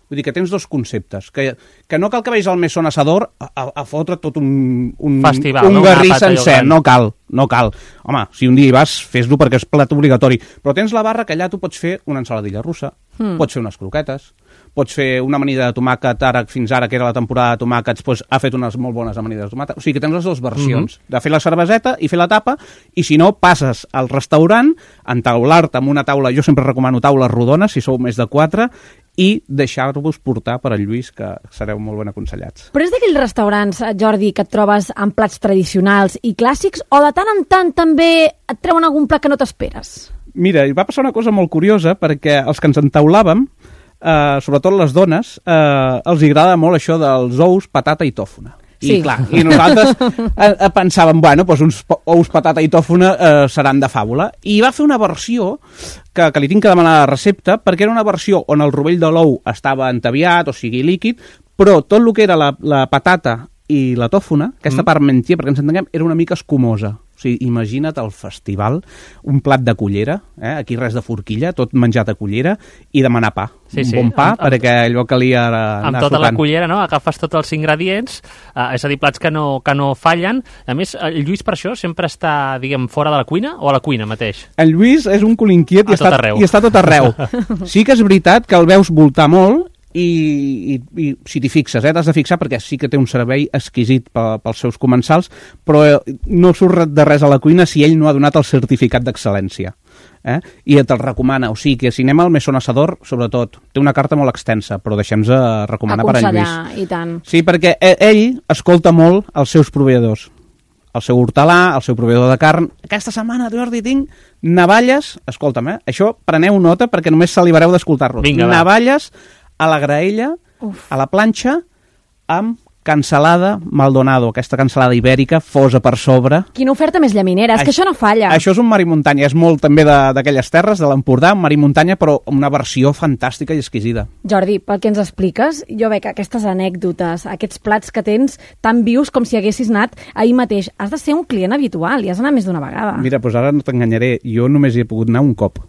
Vull dir que tens dos conceptes, que no cal que vegis al Mesón Asador a fotre tot un festival, un garrí sencer, no cal. Home, si un dia hi vas, fes-lo perquè és plat obligatori, però tens la barra que allà tu pots fer una ensaladilla russa, pots fer unes croquetes, pots fer una amanida de tomàquet, fins ara, que era la temporada de tomàquets, doncs ha fet unes molt bones amanides de tomàquet. O sigui que tens les dues versions, de fer la cerveseta i fer la tapa, i si no, passes al restaurant, entaular-te amb una taula, jo sempre recomano taules rodones, si sou més de 4, i deixar-vos portar per al Lluís, que sereu molt ben aconsellats. Però és d'aquells restaurants, Jordi, que et trobes amb plats tradicionals i clàssics, o de tant en tant també et treuen algun plat que no t'esperes? Mira, va passar una cosa molt curiosa, perquè els que ens entaulàvem, sobretot les dones, els agrada molt això dels ous, patata i tòfona. Sí. I nosaltres pensàvem, bueno, doncs uns ous, patata i tòfona seran de fàbula. I va fer una versió que li tinc que demanar la recepta, perquè era una versió on el rovell de l'ou estava entaviat, o sigui, líquid, però tot el que era la patata i la tòfona, aquesta part mentia, perquè ens entenguem, era una mica escumosa. O sigui, imagina't el festival, un plat de cullera, aquí res de forquilla, tot menjat a cullera, i demanar pa. Un bon pa, perquè allò calia anar amb tota la cullera, no? Agafes tots els ingredients, és a dir, plats que no fallen. A més, el Lluís per això sempre està, diguem, fora de la cuina o a la cuina mateix? El Lluís és un cul inquiet i està tot arreu. Sí que és veritat que el veus voltar molt, i si t'hi fixes, t'has de fixar, perquè sí que té un servei exquisit pels seus comensals, però no surt de res a la cuina si ell no ha donat el certificat d'excel·lència. I te'l recomana. O sigui que si anem al Mesón Asador, sobretot, té una carta molt extensa, però deixem-nos recomanar per en Lluís. I tant. Sí, perquè ell escolta molt els seus proveïdors. El seu hortelà, el seu proveïdor de carn. Aquesta setmana, Jordi, tinc navalles, escolta'm, això preneu nota perquè només salivareu d'escoltar-lo. Navalles a la graella, a la planxa, amb cansalada Maldonado, aquesta cansalada ibèrica, fosa per sobre. Quina oferta més llaminera, és que això no falla. Això és un mar i muntanya, és molt també d'aquelles terres, de l'Empordà, mar i muntanya, però amb una versió fantàstica i exquisida. Jordi, pel que ens expliques, jo veig aquestes anècdotes, aquests plats que tens tan vius com si haguessis anat ahir mateix. Has de ser un client habitual i has d'anar més d'una vegada. Mira, doncs ara no t'enganyaré, jo només hi he pogut anar un cop.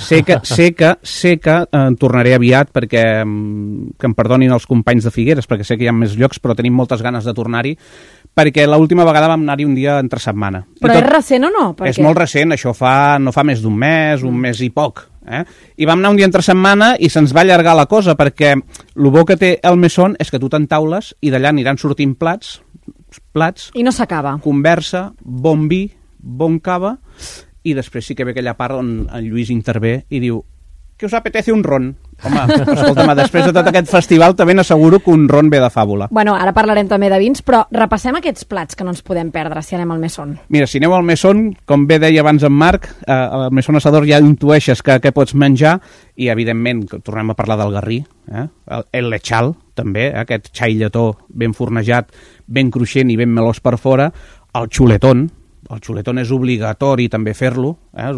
Sé que tornaré aviat perquè que em perdonin els companys de Figueres, perquè sé que hi ha més llocs, però tenim moltes ganes de tornar-hi, perquè l'última vegada vam anar-hi un dia entre setmana. Però és recent o no? És molt recent, això no fa més d'un mes i poc. I vam anar un dia entre setmana i se'ns va allargar la cosa, perquè el bo que té el Mesón és que tu t'entaules i d'allà aniran sortint plats i no s'acaba. Conversa, bon vi, bon cava, i després sí que ve aquella part on en Lluís intervé i diu: ¿qué os apetece un ron? Home, escolta'm, després de tot aquest festival també n'asseguro que un ron ve de fàbula. Bueno, ara parlarem també de vins, però repassem aquests plats que no ens podem perdre si anem al Mesón. Mira, si aneu al Mesón, com bé deia abans en Marc, al Mesón Assador ja intueixes què pots menjar i, evidentment, tornem a parlar del garrí, el lechal, també, aquest xai lletó ben fornejat, ben cruixent i ben melós per fora, el xuletón. El xuletón és obligatori també fer-lo, és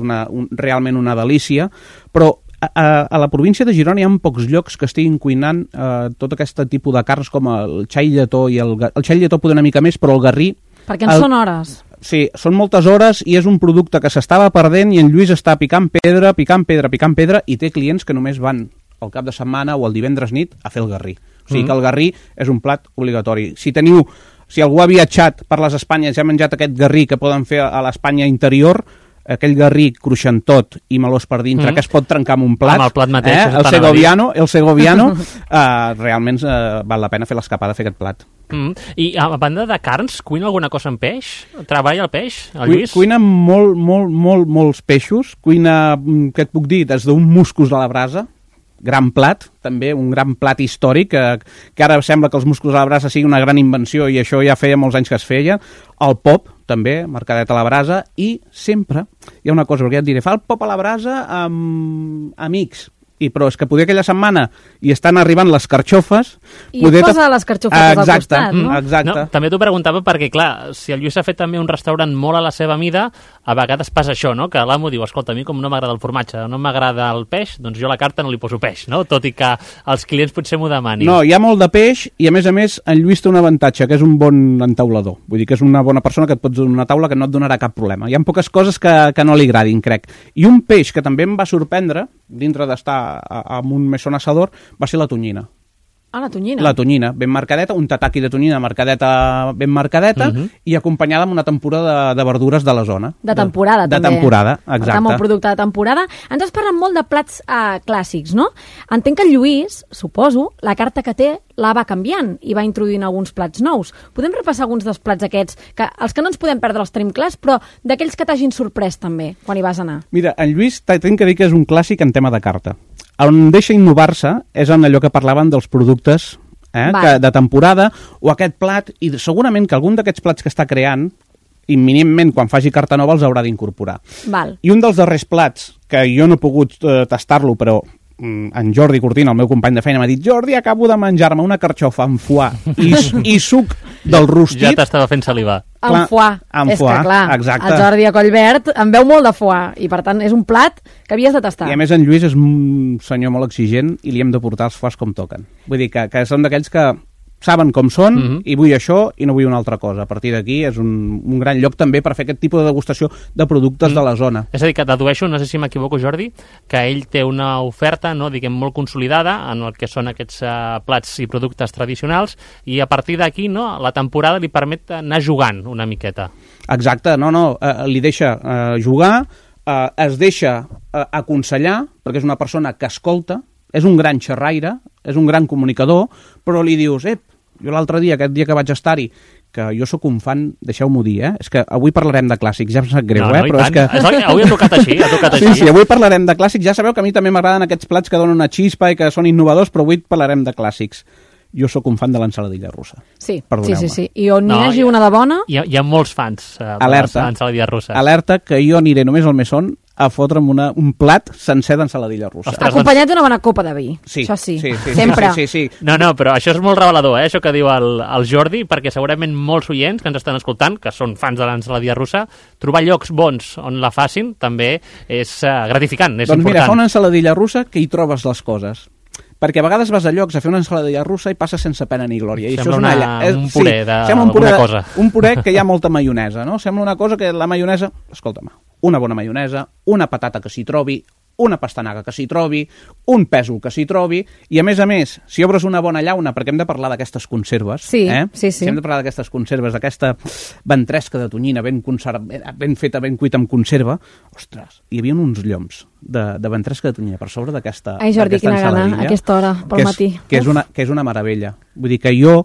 realment una delícia, però a la província de Girona hi ha pocs llocs que estiguin cuinant tot aquest tipus de carns com el xai lletó i el xai lletó poder una mica més, però el garrí... Perquè en són hores. Sí, són moltes hores i és un producte que s'estava perdent i en Lluís està picant pedra i té clients que només van el cap de setmana o el divendres nit a fer el garrí. O sigui que el garrí és un plat obligatori. Si algú ha viatjat per les Espanyes i ha menjat aquest garrí que poden fer a l'Espanya interior, aquell garrí cruixentot i melós per dintre, que es pot trencar amb un plat, amb el plat mateix, el segoviano, realment val la pena fer l'escapada a fer aquest plat. I a banda de carns, cuina alguna cosa amb peix? Treballa el peix, el Lluís? Cuina molts peixos, cuina, què et puc dir, des d'un musclos a la brasa, gran plat, també, un gran plat històric, que ara sembla que els musclos a la brasa sigui una gran invenció i això ja feia molts anys que es feia. El pop, també, mercadet a la brasa, i sempre hi ha una cosa, perquè ja et diré, fa el pop a la brasa amb amics, però és que poder aquella setmana i estan arribant les carxofes... I posa les carxofes al costat, no? Exacte. No, també t'ho preguntava perquè, clar, si el Lluís ha fet també un restaurant molt a la seva mida, a vegades passa això, no? Que l'amo diu, escolta, a mi com no m'agrada el formatge, no m'agrada el peix, doncs jo a la carta no li poso peix, no? Tot i que els clients potser m'ho demanin. No, hi ha molt de peix i, a més, en Lluís té un avantatge, que és un bon entaulador. Vull dir que és una bona persona que et pots donar una taula que no et donarà cap problema. Hi ha poques coses que no li agradin, crec. I un peix que també em va sorprendre, dintre d'estar amb un Mesón Assador, va ser la tonyina. Ah, la tonyina. La tonyina, ben marcadeta, un tataki de tonyina ben marcadeta, i acompanyada amb una temporada de verdures de la zona. De temporada, també. De temporada, exacte. Per tant, un producte de temporada. Ens has parlat molt de plats clàssics, no? Entenc que el Lluís, suposo, la carta que té la va canviant i va introduint alguns plats nous. Podem repassar alguns dels plats aquests, que els que no ens podem perdre els tenim clars, però d'aquells que t'hagin sorprès també, quan hi vas anar? Mira, en Lluís tinc que dir que és un clàssic en tema de carta. On deixa innovar-se és en allò que parlaven dels productes de temporada, o aquest plat, i segurament que algun d'aquests plats que està creant, imminentment, quan faci carta nova, els haurà d'incorporar. I un dels darrers plats, que jo no he pogut tastar-lo, però en Jordi Cortina, el meu company de feina, m'ha dit: Jordi, acabo de menjar-me una carxofa amb foie i suc del rostit. Ja t'estava fent salivar. Amb foie. És que, clar, exacte. El Jordi a Collverd en veu molt de foie, i per tant és un plat que havies de tastar. I a més en Lluís és un senyor molt exigent i li hem de portar els foies com toquen. Vull dir que són d'aquells que saben com són i vull això i no vull una altra cosa. A partir d'aquí és un gran lloc també per fer aquest tipus de degustació de productes de la zona. És a dir, que dedueixo, no sé si m'equivoco, Jordi, que ell té una oferta, no, diguem, molt consolidada en el que són aquests plats i productes tradicionals, i a partir d'aquí, no, la temporada li permet anar jugant una miqueta. Exacte, li deixa jugar, es deixa aconsellar, perquè és una persona que escolta, és un gran xerraire, és un gran comunicador, però li dius: jo l'altre dia, aquest dia que vaig estar-hi, que jo sóc un fan, deixeu-m'ho dir, és que avui parlarem de clàssics, ja em sap greu, però és que... Avui ha tocat així, Sí, avui parlarem de clàssics, ja sabeu que a mi també m'agraden aquests plats que donen una xispa i que són innovadors, però avui parlarem de clàssics. Jo sóc un fan de l'ensaladilla russa. Sí. I on n'hi hagi una de bona... Hi ha molts fans de l'ensaladilla russa. Alerta, que jo aniré només al Mesón a fotre'm un plat sencer d'ensaladilla russa. Acompanyat d'una bona copa de vi. Sí. Això sí. Sempre. Sí. No, però això és molt revelador, això que diu el Jordi, perquè segurament molts oients que ens estan escoltant, que són fans de l'ensaladilla russa, trobar llocs bons on la facin també és gratificant, és important. Doncs mira, fa una ensaladilla russa que hi trobes les coses. Perquè a vegades vas a llocs a fer una ensaladilla russa i passes sense pena ni glòria. I sembla un puré d'alguna cosa. Un puré que hi ha molta maionesa, no? Sembla una cosa que la maionesa... Escolta'm, una bona maionesa, una patata que s'hi trobi, una pastanaga que s'hi trobi, un pèsol que s'hi trobi, i a més, si obres una bona llauna, perquè hem de parlar d'aquestes conserves, sí. Si hem de parlar d'aquestes conserves, d'aquesta ventresca de tonyina ben feta, ben cuita amb conserva, ostres, hi havia uns lloms de ventresca de tonyina per sobre d'aquesta Ai, Jordi, quina gana, a aquesta hora, pel matí. Que és una meravella. Vull dir que jo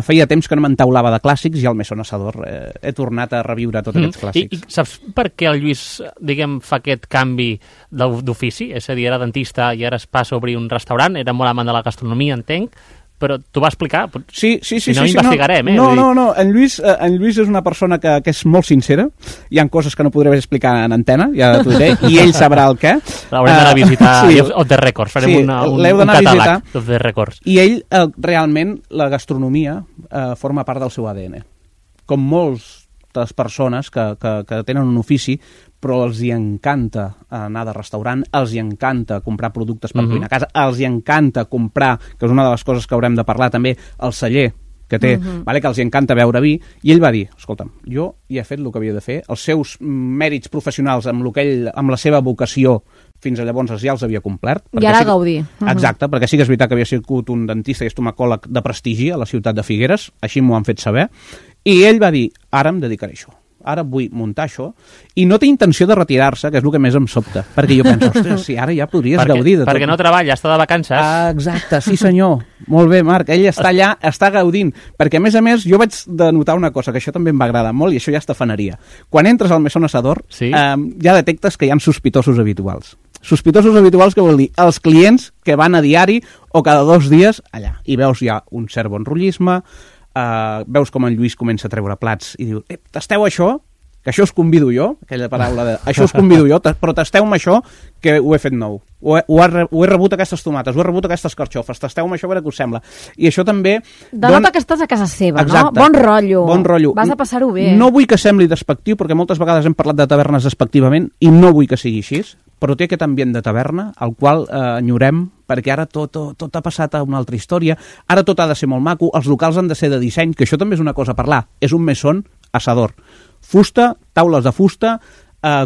feia temps que no m'entaulava de clàssics i al Mesón Asador he tornat a reviure tots aquests clàssics. I saps per què el Lluís, diguem, fa aquest canvi d'ofici? És a dir, era dentista i ara es passa a obrir un restaurant, era molt amant de la gastronomia, entenc, però t'ho va explicar? Sí. Si no, investigarem, No, en Lluís és una persona que és molt sincera. Hi ha coses que no podré explicar en antena, ja t'ho diré, i ell sabrà el què. L'haurem d'anar a visitar Off the Records, farem un catàleg d'Off the Records. I ell, realment, la gastronomia forma part del seu ADN. Com moltes persones que tenen un ofici, però els hi encanta anar de restaurant, els hi encanta comprar productes per cuinar a casa, els hi encanta comprar, que és una de les coses que haurem de parlar també, el celler que té, que els hi encanta beure vi, i ell va dir, escolta'm, jo ja he fet el que havia de fer, els seus mèrits professionals amb la seva vocació fins a llavors ja els havia complert. I ara gaudir. Exacte, perquè sí que és veritat que havia sigut un dentista i estomacòleg de prestigi a la ciutat de Figueres, així m'ho han fet saber, i ell va dir, ara em dedicaré a això. Ara vull muntar això, i no té intenció de retirar-se, que és el que més em sobta, perquè jo penso, ostres, si ara ja podries gaudir de tot. Perquè no treballa, està de vacances. Exacte, sí senyor. Molt bé, Marc, ell està allà, està gaudint, perquè a més, jo vaig de notar una cosa, que això també em va agradar molt, i això ja és tafaneria. Quan entres al Mesón Asador, ja detectes que hi ha sospitosos habituals. Sospitosos habituals, que vol dir els clients que van a diari o cada 2 dies allà, i veus ja un cert bon rotllisme, veus com en Lluís comença a treure plats i diu, tasteu això, que això us convido jo, aquella paraula de això us convido jo, però tasteu-me això, que ho he fet nou. Ho he rebut aquestes tomates, ho he rebut aquestes carxofes, tasteu-me això a veure què us sembla. I això també... Denota que estàs a casa seva, exacte, no? Bon rotllo. Vas a passar-ho bé. No vull que sembli despectiu, perquè moltes vegades hem parlat de tavernes despectivament, i no vull que sigui així, però té aquest ambient de taverna, al qual enyorem, perquè ara tot ha passat a una altra història, ara tot ha de ser molt maco, els locals han de ser de disseny, que això també és una cosa a parlar, és un Mesón Asador. Fusta, taules de fusta,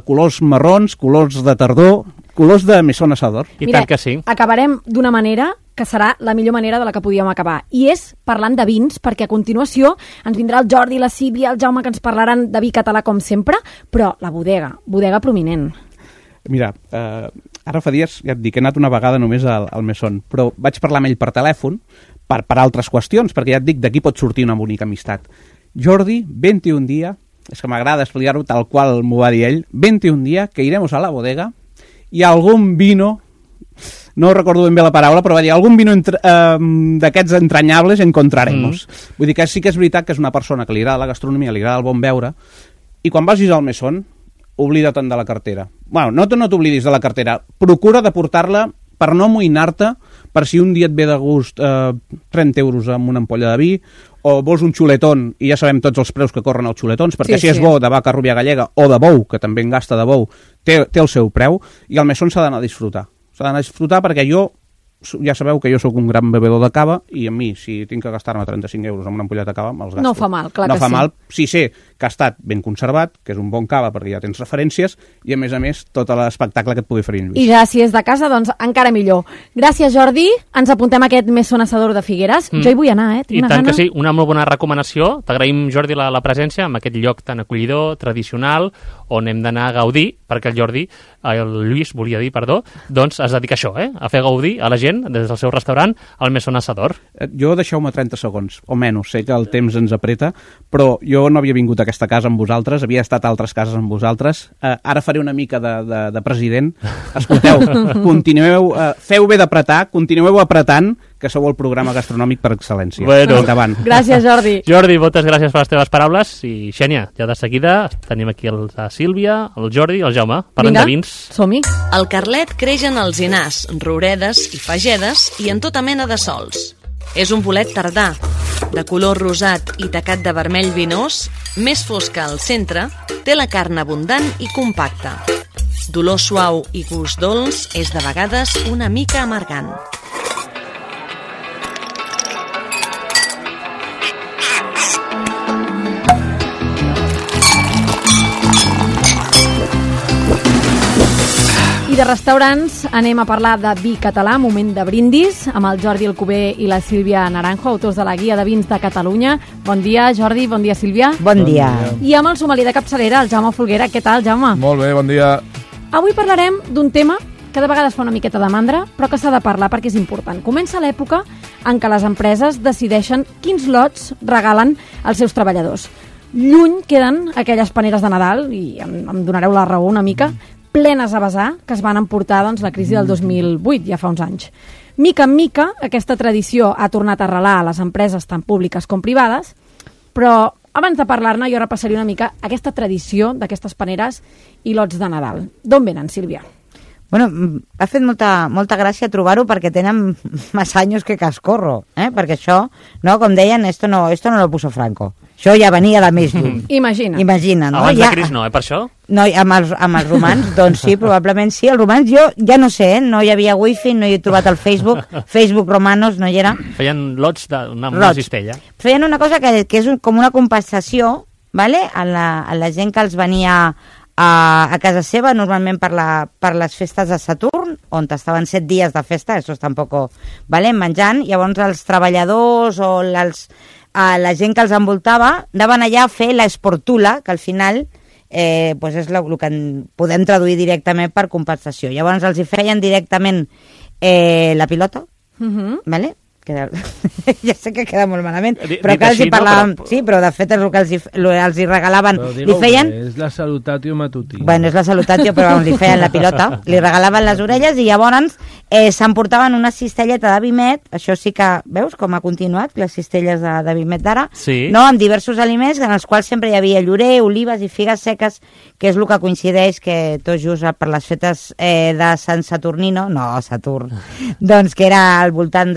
colors marrons, colors de tardor, colors de Mesón Asador. I tant que sí. Acabarem d'una manera que serà la millor manera de la que podíem acabar, i és parlant de vins, perquè a continuació ens vindrà el Jordi, la Sílvia, el Jaume, que ens parlaran de vi català com sempre, però la bodega prominent. Mira, ara fa dies, ja et dic, he anat una vegada només al Mesón, però vaig parlar amb ell per telèfon per altres qüestions, perquè ja et dic, d'aquí pot sortir una bonica amistat. Jordi, vente un dia, és que m'agrada explicar-ho tal qual m'ho va dir ell, vente un dia que iremos a la bodega i algun vino, no recordo ben bé la paraula, però va dir algun vino d'aquests entranyables encontraremos. Vull dir que sí que és veritat que és una persona que li agrada la gastronomia, li agrada el bon beure, i quan vagis al Mesón, oblida't de la cartera. Bueno, no t'oblidis de la cartera. Procura de portar-la per no amoïnar-te, per si un dia et ve de gust 30 euros amb una ampolla de vi, o vols un xuletón, i ja sabem tots els preus que corren els xuletons, perquè si és bo de vaca rubia gallega o de bou, que també en gasta de bou, té el seu preu, i al Mesón s'ha d'anar a disfrutar. S'ha d'anar a disfrutar perquè jo, ja sabeu que jo sóc un gran bevedor de cava, i a mi, si tinc que gastar-me 35 euros en una ampolleta de cava, me'ls gasto. No fa mal, clar que sí. No fa mal, si sé que ha estat ben conservat, que és un bon cava perquè ja tens referències, i a més, tot l'espectacle que et pugui oferir en Lluís. I ja, si és de casa, doncs encara millor. Gràcies, Jordi. Ens apuntem a aquest Mesón Asador de Figueres. Jo hi vull anar, I tant que sí, una molt bona recomanació. T'agraïm, Jordi, la presència en aquest lloc tan acollidor, tradicional, on hem d'anar a gaudir, perquè el Lluís volia dir, doncs es dedica a això, a fer gaudir a la gent des del seu restaurant al Mesón Asador. Jo deixeu-me 30 segons, o menys, sé que el temps ens apreta, però jo no havia vingut a aquesta casa amb vosaltres, havia estat a altres cases amb vosaltres, ara faré una mica de president. Escolteu, continueu, feu bé d'apretar, continueu apretant, que sou el programa gastronòmic per excel·lència. Bueno. Endavant. Gràcies, Jordi. Jordi, moltes gràcies per les teves paraules, i Xènia, ja de seguida tenim aquí la Sílvia, el Jordi i el Jaume, parlant de vins. Som-hi. El carlet creix en alzinars, rouredes i fagedes i en tota mena de sols. És un bolet tardà, de color rosat i tacat de vermell vinós, més fosca al centre, té la carn abundant i compacta. D'olor suau i gust dolç, és de vegades una mica amargant. I de restaurants anem a parlar de vi català, moment de brindis, amb el Jordi Alcover i la Sílvia Naranjo, autors de la Guia de Vins de Catalunya. Bon dia, Jordi, bon dia, Sílvia. Bon dia. I amb el sommelier de capçalera, el Jaume Folguera. Què tal, Jaume? Molt bé, bon dia. Avui parlarem d'un tema que de vegades fa una miqueta de mandra, però que s'ha de parlar perquè és important. Comença l'època en què les empreses decideixen quins lots regalen als seus treballadors. Lluny queden aquelles paneres de Nadal, i em donareu la raó una mica, plenes a vessar, que es van emportar doncs, la crisi del 2008, ja fa uns anys. Mica en mica, aquesta tradició ha tornat a arrelar a les empreses tant públiques com privades, però abans de parlar-ne jo repassaria una mica aquesta tradició d'aquestes paneres i lots de Nadal. D'on venen, Sílvia? Bueno, ha fet molta gràcia trobar-ho perquè tenen massa anys que cascorro, perquè això, no, com deien, esto no lo puso Franco. Això ja venia de més lluny. Imagina, no? Abans de Cris no, per això? No, amb els romans, doncs sí, probablement sí. Els romans jo ja no sé, no hi havia wifi, no hi he trobat el Facebook romanos no hi era. Feien lots d'una cistella. Feien una cosa que és com una compensació, ¿vale? a la gent que els venia a casa seva, normalment per les festes de Saturn, on estaven 7 dies de festa, això tampoc, ¿vale? Menjant, llavors els treballadors o la gent que els envoltava anaven allà a fer l'esportula, que al final pues és el que podem traduir directament per compensació. Llavors els hi feien directament la pilota, ¿vale? Ja sé que queda molt malament, però que els hi parlàvem, sí, però de fet és el que els hi regalaven, li feien... És la salutatio matutina. Bueno, és la salutatio, però li feien la pilota, li regalaven les orelles i llavors s'emportaven una cistelleta de vimet, això sí que, veus com ha continuat, les cistelles de vimet d'ara, sí. No? Amb diversos aliments en els quals sempre hi havia llorer, olives i figues seques, que és el que coincideix que tot just per les fetes de Sant Saturnino, Saturn, doncs que era al voltant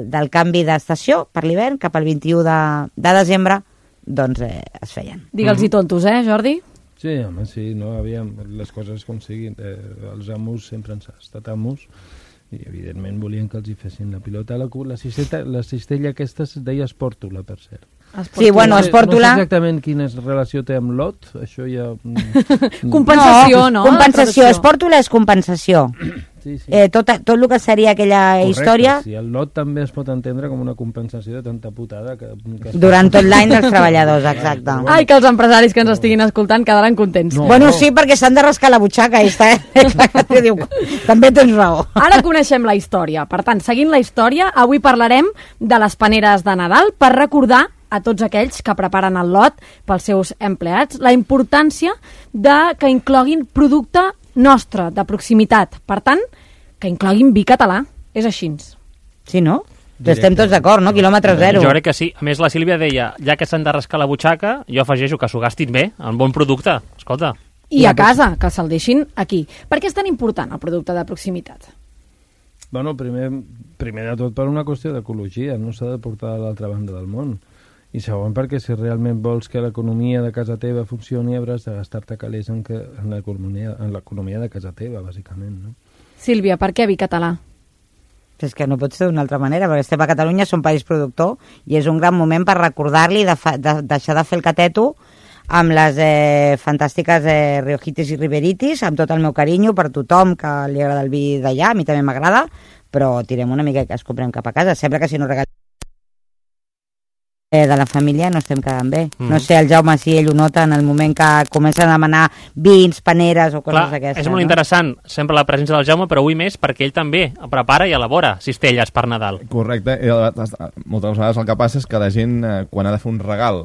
del canvi d'estació per l'hivern, cap al 21 de desembre, doncs es feien. Digue'ls-hi tontos, Jordi? Sí, home, sí, no, aviam, les coses com siguin. Els amos sempre han estat amos i evidentment volien que els hi fessin la pilota. La cistella aquesta es deia espòrtula, per cert. Sí, bueno, espòrtula... No sé exactament quina relació té amb lot, això ja... Compensació, no? Compensació, espòrtula és compensació. Sí, sí. Tot el que seria aquella història... Sí, el lot també es pot entendre com una compensació de tanta putada que durant tot l'any dels treballadors, exacte. Ai, que els empresaris que ens estiguin escoltant quedaran contents. No. Bueno, sí, perquè s'han de rascar la butxaca i està, diu, també tens raó. Ara coneixem la història. Per tant, seguint la història, avui parlarem de les paneres de Nadal per recordar a tots aquells que preparen el lot pels seus empleats la importància que incloguin producte nostre, de proximitat. Per tant, que incloguin vi català. És així. Sí, no? Estem tots d'acord, no? Quilòmetre zero. Jo crec que sí. A més, la Sílvia deia, ja que s'han de rascar la butxaca, jo afegeixo que s'ho gastin bé, en bon producte. Escolta. I a casa, que se'l deixin aquí. Per què és tan important el producte de proximitat? Bueno, primer de tot per una qüestió d'ecologia, no s'ha de portar a l'altra banda del món. I segon, perquè si realment vols que l'economia de casa teva funcioni, hauràs de gastar-te calés en l'economia de casa teva, bàsicament, no? Sílvia, per què vi català? És que no pot ser d'una altra manera, perquè estem a Catalunya, som país productor, i és un gran moment per recordar-li de deixar de fer el cateto amb les fantàstiques riojitis i riberitis, amb tot el meu carinyo per tothom que li agrada el vi d'allà, a mi també m'agrada, però tirem una mica que es comprem cap a casa. Sembla que si no regalem de la família no estem quedant bé. No sé, el Jaume, si ell ho nota en el moment que comencen a demanar vins, paneres o coses d'aquestes. És molt interessant sempre la presència del Jaume, però avui més perquè ell també prepara i elabora cistelles per Nadal. Correcte. Moltes vegades el que passa és que la gent, quan ha de fer un regal,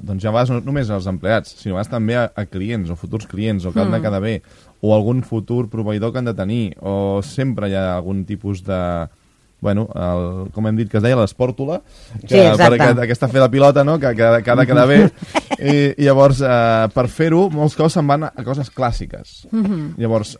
doncs ja a vegades no només als empleats, sinó a vegades també a clients o futurs clients o que han de quedar bé, o algun futur proveïdor que han de tenir, o sempre hi ha algun tipus de... Bueno, com hem dit que es deia, l'espòrtula, sí, per aquesta fer de pilota, no? que ha de quedar bé. I llavors, per fer-ho, molts cops se'n van a coses clàssiques. Llavors,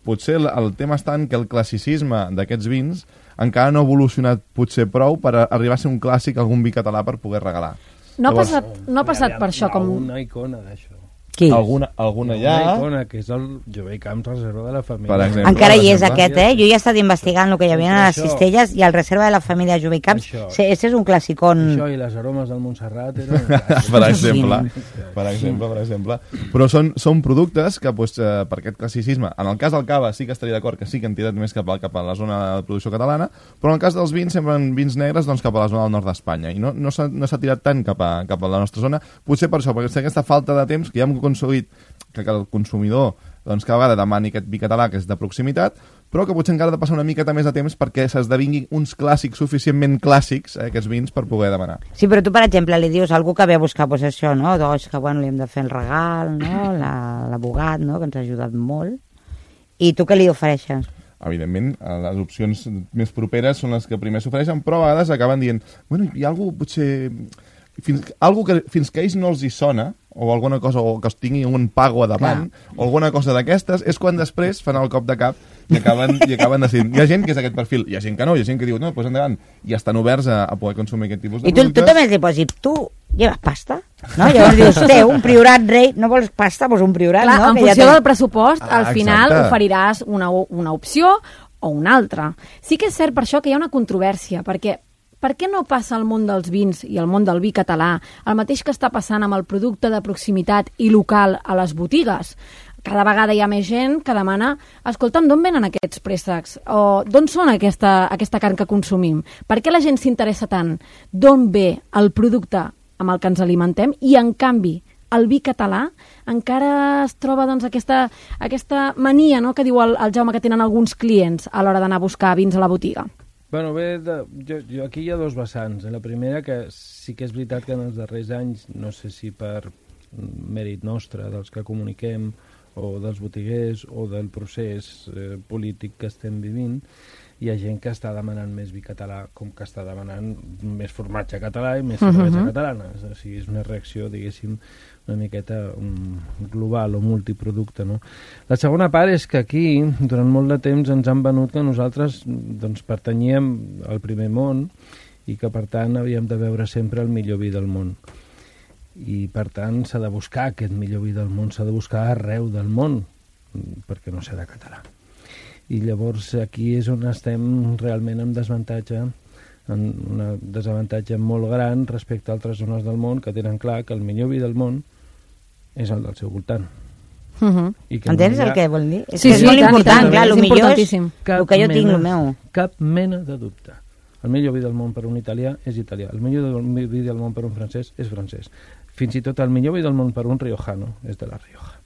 potser el tema està en que el classicisme d'aquests vins encara no ha evolucionat potser prou per arribar a ser un clàssic, algun vi català per poder regalar. No ha passat per això com... Una icona d'això. Qui? Alguna ja... Una icona, que és el Jové Camps, reserva de la família. Per exemple, encara hi és aquest, Jo ja he estat investigant el que hi havia a les cistelles i el reserva de la família Jové Camps. Aquest és un classicón. Això i les aromes del Montserrat per exemple. Però són productes que per aquest classicisme, en el cas del cava sí que estaria d'acord que sí que han tirat més cap a la zona de producció catalana, però en el cas dels vins semblen vins negres doncs, cap a la zona del nord d'Espanya i no s'ha tirat tant cap a la nostra zona, potser per això, perquè aquesta falta de temps que ja hem aconseguit que el consumidor doncs cada vegada demani aquest vi català que és de proximitat, però que potser encara ha de passar una miqueta més de temps perquè s'esdevinguin uns clàssics suficientment clàssics, aquests vins, per poder demanar. Sí, però tu, per exemple, li dius a algú que ve a buscar pues, això, no? Doncs que, bueno, li hem de fer el regal, no? L'abogat, no? Que ens ha ajudat molt. I tu què li ofereixes? Evidentment, les opcions més properes són les que primer s'ofereixen, però a vegades acaben dient, bueno, hi ha algú potser... algú que fins que a ells no els hi sona, o alguna cosa, o que es tingui un pago a davant, o alguna cosa d'aquestes, és quan després fan el cop de cap i acaben decidint. Hi ha gent que és aquest perfil, hi ha gent que no, hi ha gent que diu, no, doncs endavant, i estan oberts a poder consumir aquest tipus de productes. I tu també li pots dir, tu lleves pasta? No? Llavors dius, un priorat rei, no vols pasta? Doncs un priorat, clar, no? En funció del pressupost, al final oferiràs una opció o una altra. Sí que és cert per això que hi ha una controvèrsia, perquè per què no passa al món dels vins i al món del vi català el mateix que està passant amb el producte de proximitat i local a les botigues? Cada vegada hi ha més gent que demana, escolta'm, d'on venen aquests préssecs? O d'on són aquesta carn que consumim? Per què la gent s'interessa tant? D'on ve el producte amb el que ens alimentem? I, en canvi, el vi català encara es troba doncs, aquesta mania, no?, que diu el Jaume que tenen alguns clients a l'hora d'anar a buscar vins a la botiga. Bueno, bé, jo aquí hi ha dos vessants. La primera, que sí que és veritat que en els darrers anys, no sé si per mèrit nostre, dels que comuniquem, o dels botiguers, o del procés polític que estem vivint, hi ha gent que està demanant més vi català, com que està demanant més formatge català i més cervesa catalana. O sigui, és una reacció, diguéssim, una miqueta global o multiproducte, no? La segona part és que aquí, durant molt de temps, ens han venut que nosaltres doncs, pertanyíem al primer món i que, per tant, havíem de veure sempre el millor vi del món. I, per tant, s'ha de buscar aquest millor vi del món, s'ha de buscar arreu del món, perquè no serà català. I llavors aquí és on estem realment en desavantatge, en un desavantatge molt gran respecte a altres zones del món que tenen clar que el millor vi del món és el del seu voltant. Entens el que vol dir? Sí, és molt important, clar, el millor és el que jo tinc, el meu. Cap mena de dubte. El millor vi del món per un italià és italià, el millor vi del món per un francès és francès. Fins i tot el millor vi del món per un riojano és de la Rioja.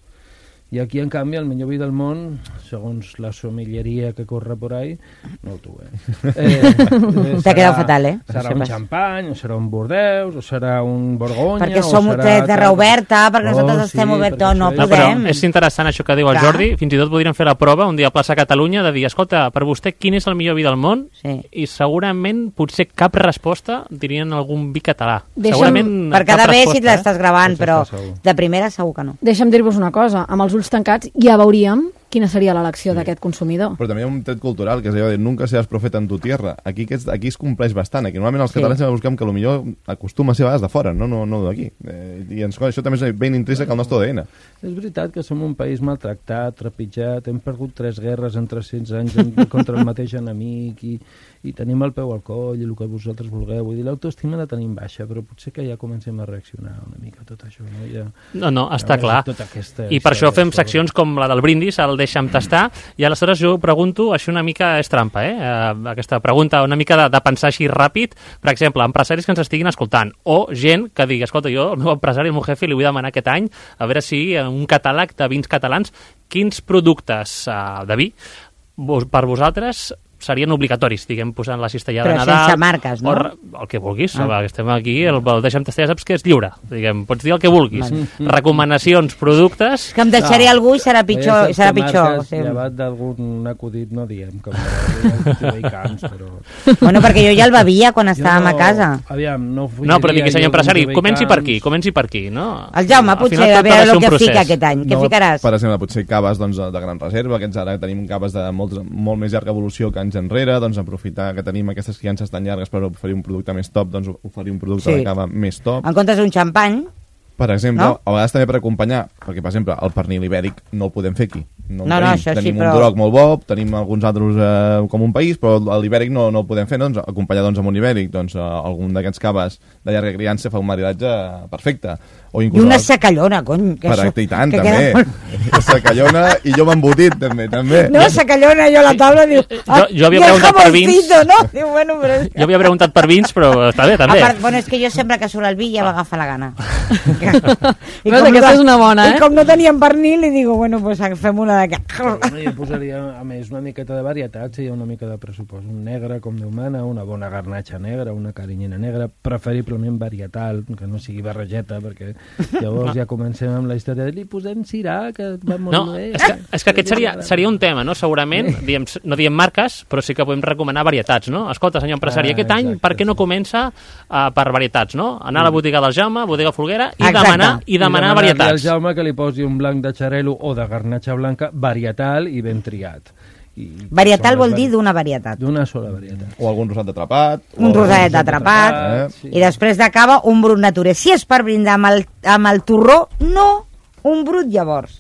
I aquí, en canvi, el millor vi del món, segons la sommelleria que corre por ahí, no tu, T'ha quedat fatal, Serà un xampany, o serà un Bordeus, o serà un Borgonya... Perquè som terra oberta, perquè nosaltres estem oberts, no podem. Però és interessant això que diu el Jordi, fins i tot podríem fer la prova un dia a Plaça Catalunya de dir, escolta, per vostè quin és el millor vi del món? I segurament, potser cap resposta dirien algun vi català. Segurament per cada bé si l'estàs gravant, però de primera segur que no. Deixa'm dir-vos una cosa, amb els ulls tancats ja veuríem quina seria l'elecció d'aquest consumidor. Però també hi ha un tret cultural, que és allò de nunca seas profeta en tu tierra. Aquí es compleix bastant. Aquí normalment els catalans sempre busquem que potser acostuma a ser a vegades de fora, no d'aquí. I això també és ben intrínsec al nostre ADN. És veritat que som un país maltractat, trepitjat, hem perdut 3 guerres en 300 anys contra el mateix enemic i tenim el peu al coll i el que vosaltres vulgueu. Vull dir, l'autoestima la tenim baixa, però potser que ja comencem a reaccionar una mica tot això. No, està clar. I per això fem seccions com la del brindis, el deixa'm tastar, i aleshores jo pregunto, això una mica és trampa, aquesta pregunta, una mica de pensar així ràpid, per exemple, empresaris que ens estiguin escoltant, o gent que digui, escolta, jo, el meu empresari, el meu jefe, li vull demanar aquest any, a veure si un catàleg de vins catalans, quins productes de vi per vosaltres serien obligatoris, diguem, posant la cistella de Nadal. Però sense marques, no? El que vulguis, estem aquí, el deixa'm tastar, ja saps que és lliure, diguem, pots dir el que vulguis. Recomanacions, productes... Que em deixaré algú i serà pitjor. Llevat d'algun acudit, no diem, com camps, però... Bueno, perquè jo ja el bevia quan estàvem a casa. Aviam, no, però digui, senyor empresari, comenci per aquí, no? El Jaume, potser, a veure el que fica aquest any. Què ficaràs? Per exemple, potser caves de gran reserva, que ara tenim caves de molt més llarga evolució que enrere, doncs aprofitar que tenim aquestes criances tan llargues per oferir un producte més top, doncs oferir un producte de cava més top. En comptes d'un xampany, per exemple, a vegades també per acompanyar, perquè, per exemple, el pernil ibèric no el podem fer aquí. Tenim un Duroc molt bo, tenim alguns altres com un país, però l'ibèric no el podem fer, doncs acompanyar amb un ibèric, doncs algun d'aquests caves de llarga criança fa un maridatge perfecte. I una sacallona, cony. I tant, també. Sacallona i jo m'embotit, també. No, sacallona, jo a la taula diu... Jo havia preguntat per vins. Jo havia preguntat per vins, però està bé, també. Bueno, és que jo sempre que surt el vi ja m'agafa la gana. Aquesta és una bona, I com no teníem pernil, li digo, bueno, pues fem una d'aquest. Bueno, jo posaria, a més, una miqueta de varietat, si hi ha una mica de pressupost. Un negre, com Déu mana, una bona garnatxa negra, una carinyena negra, preferiblement varietal, que no sigui barregeta, perquè llavors ja comencem amb la història de li posem cirà, que va molt bé. És que aquest seria un tema, no? Segurament, no diem marques, però sí que podem recomanar varietats, no? Escolta, senyor empresari, aquest any, per què no comença per varietats, no? Anar a la botiga del Jaume, botiga Folguera, i demanar varietats. Al Jaume que li posi un blanc de xarel·lo o de garnatxa blanca varietal i ben triat. Varietal vol dir d'una varietat. D'una sola varietat. O algun rosat d'atrapat. Un rosadet d'atrapat. I després d'acaba un brut naturé. Si és per brindar amb el torró, no un brut llavors.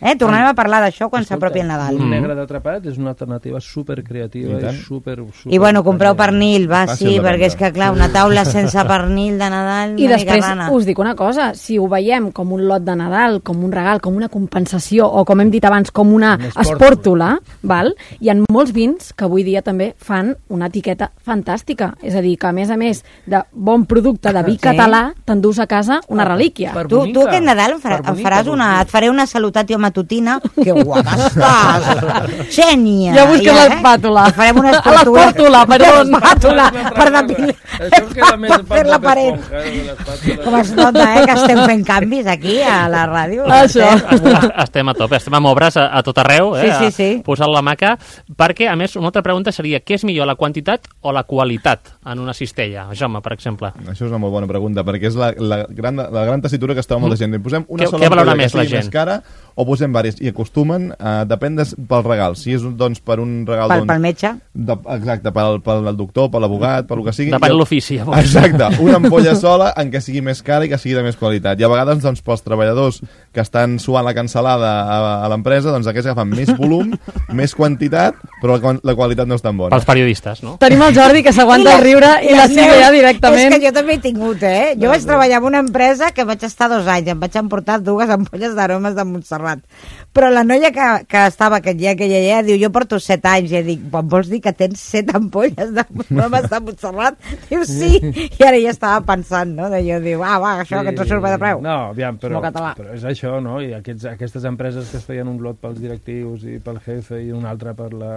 Tornarem a parlar d'això quan s'apropi el Nadal. Un negre d'atrapat és una alternativa supercreativa i super... I bueno, compreu pernil, va, sí, perquè és que clar, una taula sense pernil de Nadal... I després us dic una cosa, si ho veiem com un lot de Nadal, com un regal, com una compensació, o com hem dit abans, com una espòrtula, val? Hi ha molts vins que avui dia també fan una etiqueta fantàstica. És a dir, que a més de bon producte de vi català, t'endús a casa una relíquia. Tu aquest Nadal et faré una salutació matutina, que guapa estàs! Xènia! Ja busques l'espàtula. Farem una l'espàtula, perdó. L'espàtula, per depilar. Per la paret. Com es nota, que estem fent canvis aquí a la ràdio. Això. Estem a tope, estem amb obres a tot arreu, sí. Posant la maca, perquè, a més, una altra pregunta seria, què és millor, la quantitat o la qualitat en una cistella? Jaume, per exemple. Això és una molt bona pregunta, perquè és la gran tessitura que està molta gent. Posem una sola ampolla que sigui més cara o posem diverses, i acostumen, depèn pel regal, si és doncs per un regal... Pel metge. Exacte, pel doctor, per l'abogat, per el que sigui. Depèn l'ofici, llavors. Exacte, una ampolla sola en què sigui més cara i que sigui de més qualitat. I a vegades, doncs, pels treballadors que estan suant la cancel·lada a l'empresa, doncs aquests agafen més volum, més quantitat, però la qualitat no és tan bona. Pels periodistes, no? Tenim el Jordi que s'aguanta el riure i la Sílvia ja directament... És que jo també he tingut, Jo vaig treballar en una empresa que vaig estar 2 anys, em vaig emportar 2 ampolles d'aromes de Montserrat. Però la noia que estava aquest dia que ella diu, jo porto 7 anys, i dic, vols dir que tens 7 ampolles d'aromes de Montserrat? Diu, sí, i ara ja estava pensant, no? Jo diu, això que ens surt de preu. No, aviam, però és això, no? I aquestes empreses que es feien un lot pels directius i pel jefe i un altre per la...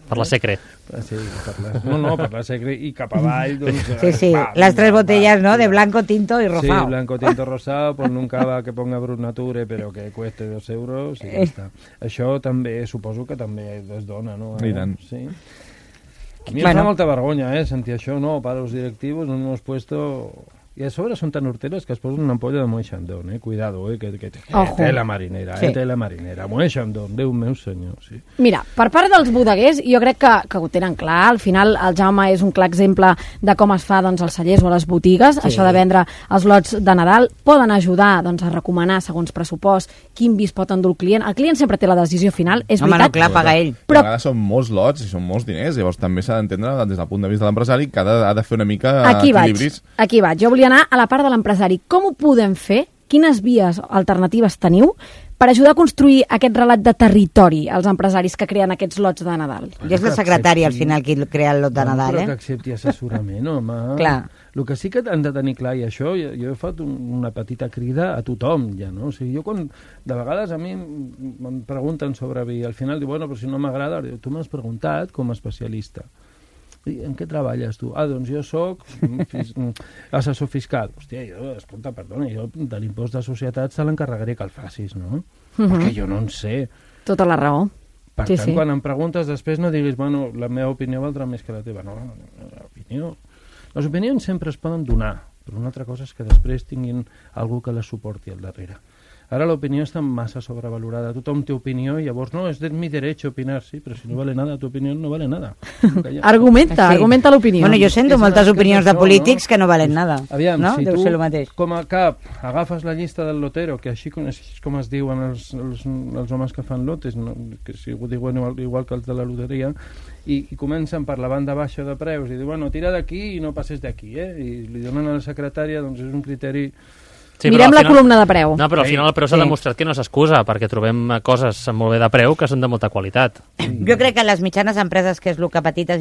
Per la secre. Sí, per la secre i cap avall, doncs... Sí, les 3 botellas, ¿no? De blanco, tinto y rosado. Sí, blanco, tinto, rosado, ponle un cava que ponga Brut Nature, però que cueste 2 euros i ja està. Això també, suposo que també es dona, no? I tant. Sí. A mi em fa molta vergonya, sentir això, no? Para los directivos no hemos puesto... I a sobre són tan horteres que es posen una ampolla de Moet Chandon, cuidado, que té la marinera, té la marinera. Moet Chandon, Déu meu senyor, sí. Mira, per part dels bodeguers, jo crec que ho tenen clar. Al final, el Jaume és un clar exemple de com es fa als cellers o a les botigues. Això de vendre els lots de Nadal poden ajudar a recomanar, segons pressupost, quin vi es pot endur el client. El client sempre té la decisió final, és veritat. Home, no, clar, paga ell. Però a vegades són molts lots i són molts diners, llavors també s'ha d'entendre des del punt de vista de l'empresari que ha de fer una mica equilibris. Aquí vaig. Jo volia anar a la part de l'empresari. Com ho podem fer? Quines vies alternatives teniu per ajudar a construir aquest relat de territori als empresaris que creen aquests lots de Nadal? Jo és la secretària, al final, qui crea el lot de Nadal, Però que accepti assessorament, home. Clar. El que sí que han de tenir clar, i això, jo he fet una petita crida a tothom, ja, no? O sigui, jo quan, de vegades a mi em pregunten sobre vi, al final diu, bueno, però si no m'agrada, tu m'has preguntat com a especialista. I en què treballes tu? Doncs jo soc assessor fiscal. Hòstia, escolta, perdona, jo de l'impost de societats te l'encarregaré que el facis, no? Perquè jo no en sé. Tota la raó. Per tant, quan em preguntes després no diguis, bueno, la meva opinió valdrà més que la teva. No, l'opinió... Les opinions sempre es poden donar, però una altra cosa és que després tinguin algú que les suporti al darrere. Ara l'opinió està massa sobrevalorada. Tothom té opinió i llavors, no, és de mi derecho opinar, sí, però si no vale nada, tu opinió no vale nada. Argumenta l'opinió. Bueno, jo sento moltes opinions de polítics que no valen nada. Aviam, no? Si deu ser el mateix. Com a cap agafes la llista del lotero, que així com es diuen els homes que fan lotes, no? Que si ho diuen igual que els de la loteria, i comencen per la banda baixa de preus i diuen, bueno, tira d'aquí i no passes d'aquí, I li donen a la secretària, doncs és un criteri Sí, Mirem però la al final- columna de preu. No, però al final el preu s'ha demostrat que no s'excusa, perquè trobem coses molt bé de preu que són de molta qualitat. Jo crec que les mitjanes empreses, que és el que petites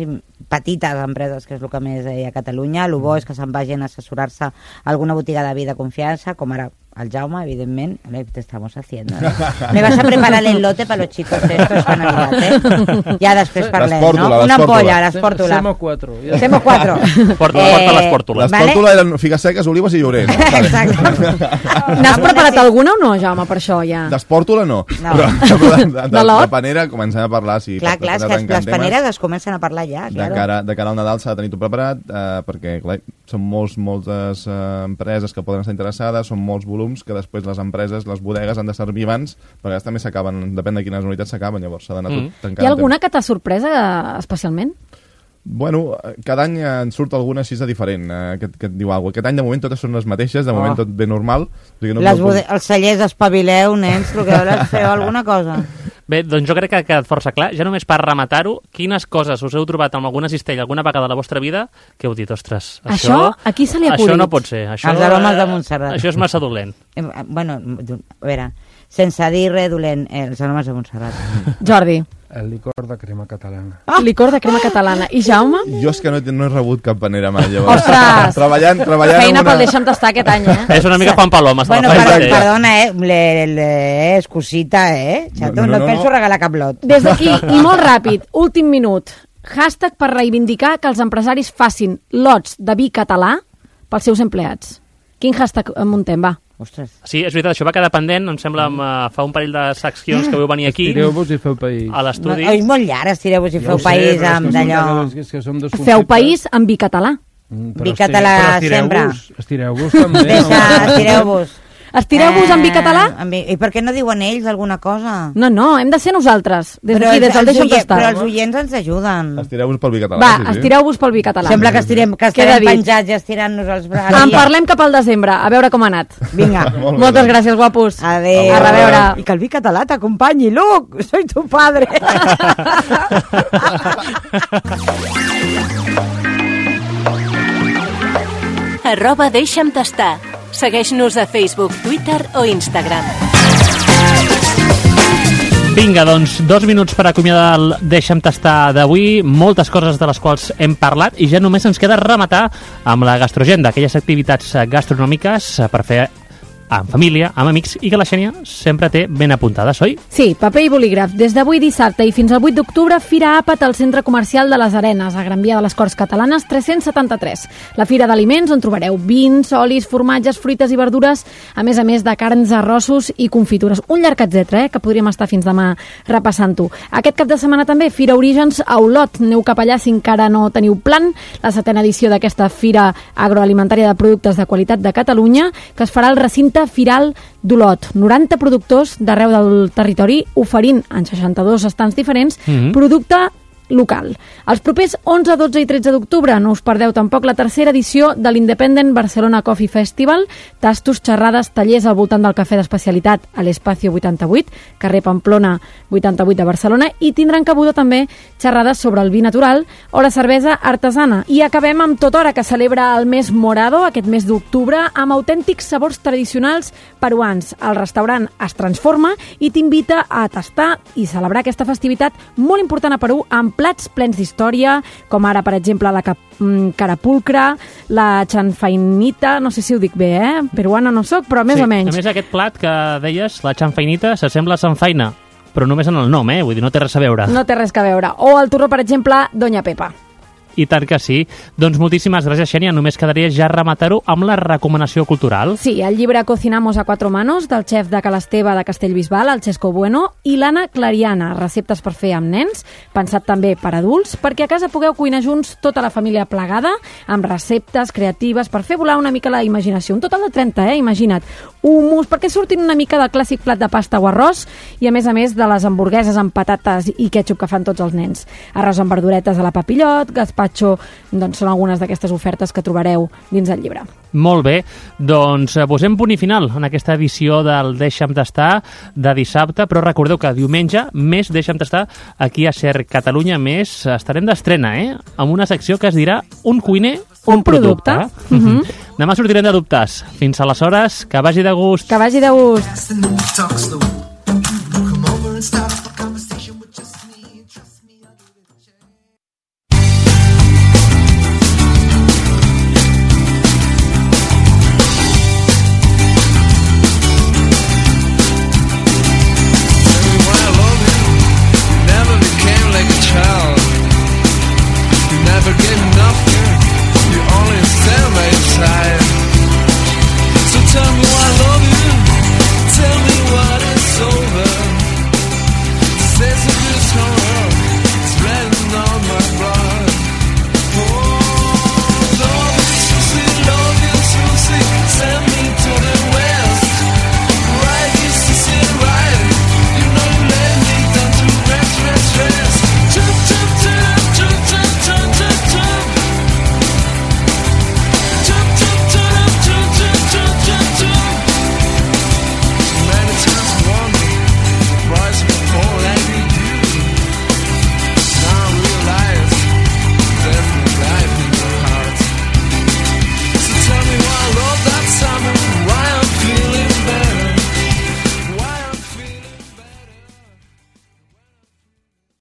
empreses, que és el que més hi ha a Catalunya, el bo és que se'n vagin a assessorar-se a alguna botiga de vi de confiança, com ara el Jaume, evidentment. Te estamos haciendo. Me vas a preparar el lote para los chicos estos que han arribat, eh? Ja després parlem, no? Una ampolla, l'espòrtula. Semo 4. Semo 4. Porta l'espòrtula. L'espòrtula eren figues seques, olives i llorer. N'has preparat alguna o no, Jaume, per això ja? D'espòrtula no. No. Però De lot? de panera comencem a parlar, sí. Clar, és que les paneres es comencen a parlar ja, De claro. cara al Nadal s'ha de tenir tot preparat, perquè clar, són moltes empreses que poden estar interessades, són molts volums que després les empreses, les bodegues han de servir abans, perquè a vegades també s'acaben, depèn de quines unitats s'acaben, llavors s'ha d'anar tot tancant. Hi ha alguna que t'ha sorpresa especialment? Bueno, cada any en surt alguna així de diferent, que et diu alguna cosa. Aquest any de moment totes són les mateixes, de moment tot ben normal. O sigui, Els cellers, espavileu, nens, el que volen feu alguna cosa. Bé, doncs jo crec que ha quedat força clar. Ja només per rematar-ho, quines coses us heu trobat amb alguna cistella alguna vegada a la vostra vida que heu dit, ostres, Això, a qui se li ha això acudit? no pot ser. Això, Els aromes de Montserrat. Això és massa dolent. Bueno, a veure, sense dir res dolent, els aromes de Montserrat. Jordi. El licor de crema catalana. Licor de crema catalana. I Jaume? Jo és que no he rebut cap panera mai, llavors. Ostres! Treballant Feina pel Deixa'm tastar aquest any, eh? És una mica Juan Paloma. Bueno, perdona, és cosita, Chato, no penso regalar cap lot. Des d'aquí, i molt ràpid, últim minut, hashtag per reivindicar que els empresaris facin lots de vi català pels seus empleats. Quin hashtag muntem, va? Ostres. Sí, és veritat, això va quedar pendent, em sembla, fa un parell de seccions que vau venir aquí. Estireu-vos i feu país. A l'estudi. És molt llarg, estireu-vos i feu país amb d'allò. Feu país amb vi català. Vi català sempre. Estireu-vos també. Estireu-vos. Estireu-vos amb vi català? I per què no diuen ells alguna cosa? No, hem de ser nosaltres. Des d'aquí, des del Deixa'm tastar. Però els oients ens ajuden. Estireu-vos pel vi català. Va, estireu-vos pel vi català. Sembla que estirem penjats i estirant-nos els braços. En parlem cap al desembre, a veure com ha anat. Vinga. Moltes gràcies, guapos. Adéu. A reveure. I que el vi català t'acompanyi, Luc. Soy tu padre. @Deixa'm tastar. Segueix-nos a Facebook, Twitter o Instagram. Vinga, doncs, 2 minuts per acomiadar el Deixa'm tastar d'avui, moltes coses de les quals hem parlat i ja només ens queda rematar amb la gastrogenda, aquelles activitats gastronòmiques per fer en família, amb amics, i que la Xènia sempre té ben apuntades, oi? Sí, paper i bolígraf. Des d'avui dissabte i fins al 8 d'octubre, Fira Àpat al Centre Comercial de les Arenes, a Gran Via de les Corts Catalanes 373. La fira d'aliments on trobareu vins, olis, formatges, fruites i verdures, a més de carns, arrossos i confitures. Un llarg etcètera, que podríem estar fins demà repassant-ho. Aquest cap de setmana també, Fira Orígens a Olot. Aneu cap allà si encara no teniu plan. La 7ª edició d'aquesta Fira Agroalimentària de Productes de Qualitat de Catalunya, que es farà al recinte Firal d'Olot. 90 productors d'arreu del territori oferint en 62 estants diferents producte local. Els propers 11, 12 i 13 d'octubre no us perdeu tampoc la 3ª edició de l'Independent Barcelona Coffee Festival, tastos, xerrades, tallers al voltant del cafè d'especialitat a l'Espacio 88, carrer Pamplona 88 de Barcelona, i tindran cabuda també xerrades sobre el vi natural o la cervesa artesana. I acabem amb Totora, que celebra el mes morado, aquest mes d'octubre, amb autèntics sabors tradicionals peruans. El restaurant es transforma i t'invita a tastar i celebrar aquesta festivitat molt important a Perú amb plats plens d'història, com ara, per exemple, la carapulcra, la chanfainita, no sé si ho dic bé, peruana no soc, però més o menys. A més, aquest plat que deies, la chanfainita, s'assembla a sanfaina, però només en el nom, vull dir, no té res a veure. No té res a veure. O el torró, per exemple, Doña Pepa. I tant que sí. Doncs moltíssimes gràcies, Xènia. Només quedaria ja rematar-ho amb la recomanació cultural. Sí, el llibre Cocinamos a cuatro manos, del xef de Cal Esteve de Castellbisbal, el Xesco Bueno, i l'Anna Clariana, receptes per fer amb nens, pensat també per adults, perquè a casa pugueu cuinar junts tota la família plegada, amb receptes creatives per fer volar una mica la imaginació. Un total de 30, imagina't. Hummus, perquè surtin una mica del clàssic plat de pasta o arròs, i a més de les hamburgueses amb patates i ketchup que fan tots els nens. Arròs amb verduretes a la papillot, gazpacho, doncs són algunes d'aquestes ofertes que trobareu dins el llibre. Molt bé, doncs posem punt i final en aquesta edició del Deixa'm tastar de dissabte, però recordeu que diumenge més Deixa'm tastar aquí a Ser Catalunya, més estarem d'estrena, amb una secció que es dirà Un cuiner, un producte. Demà sortirem de dubtes. Fins aleshores, que vagi de gust. Que vagi de gust.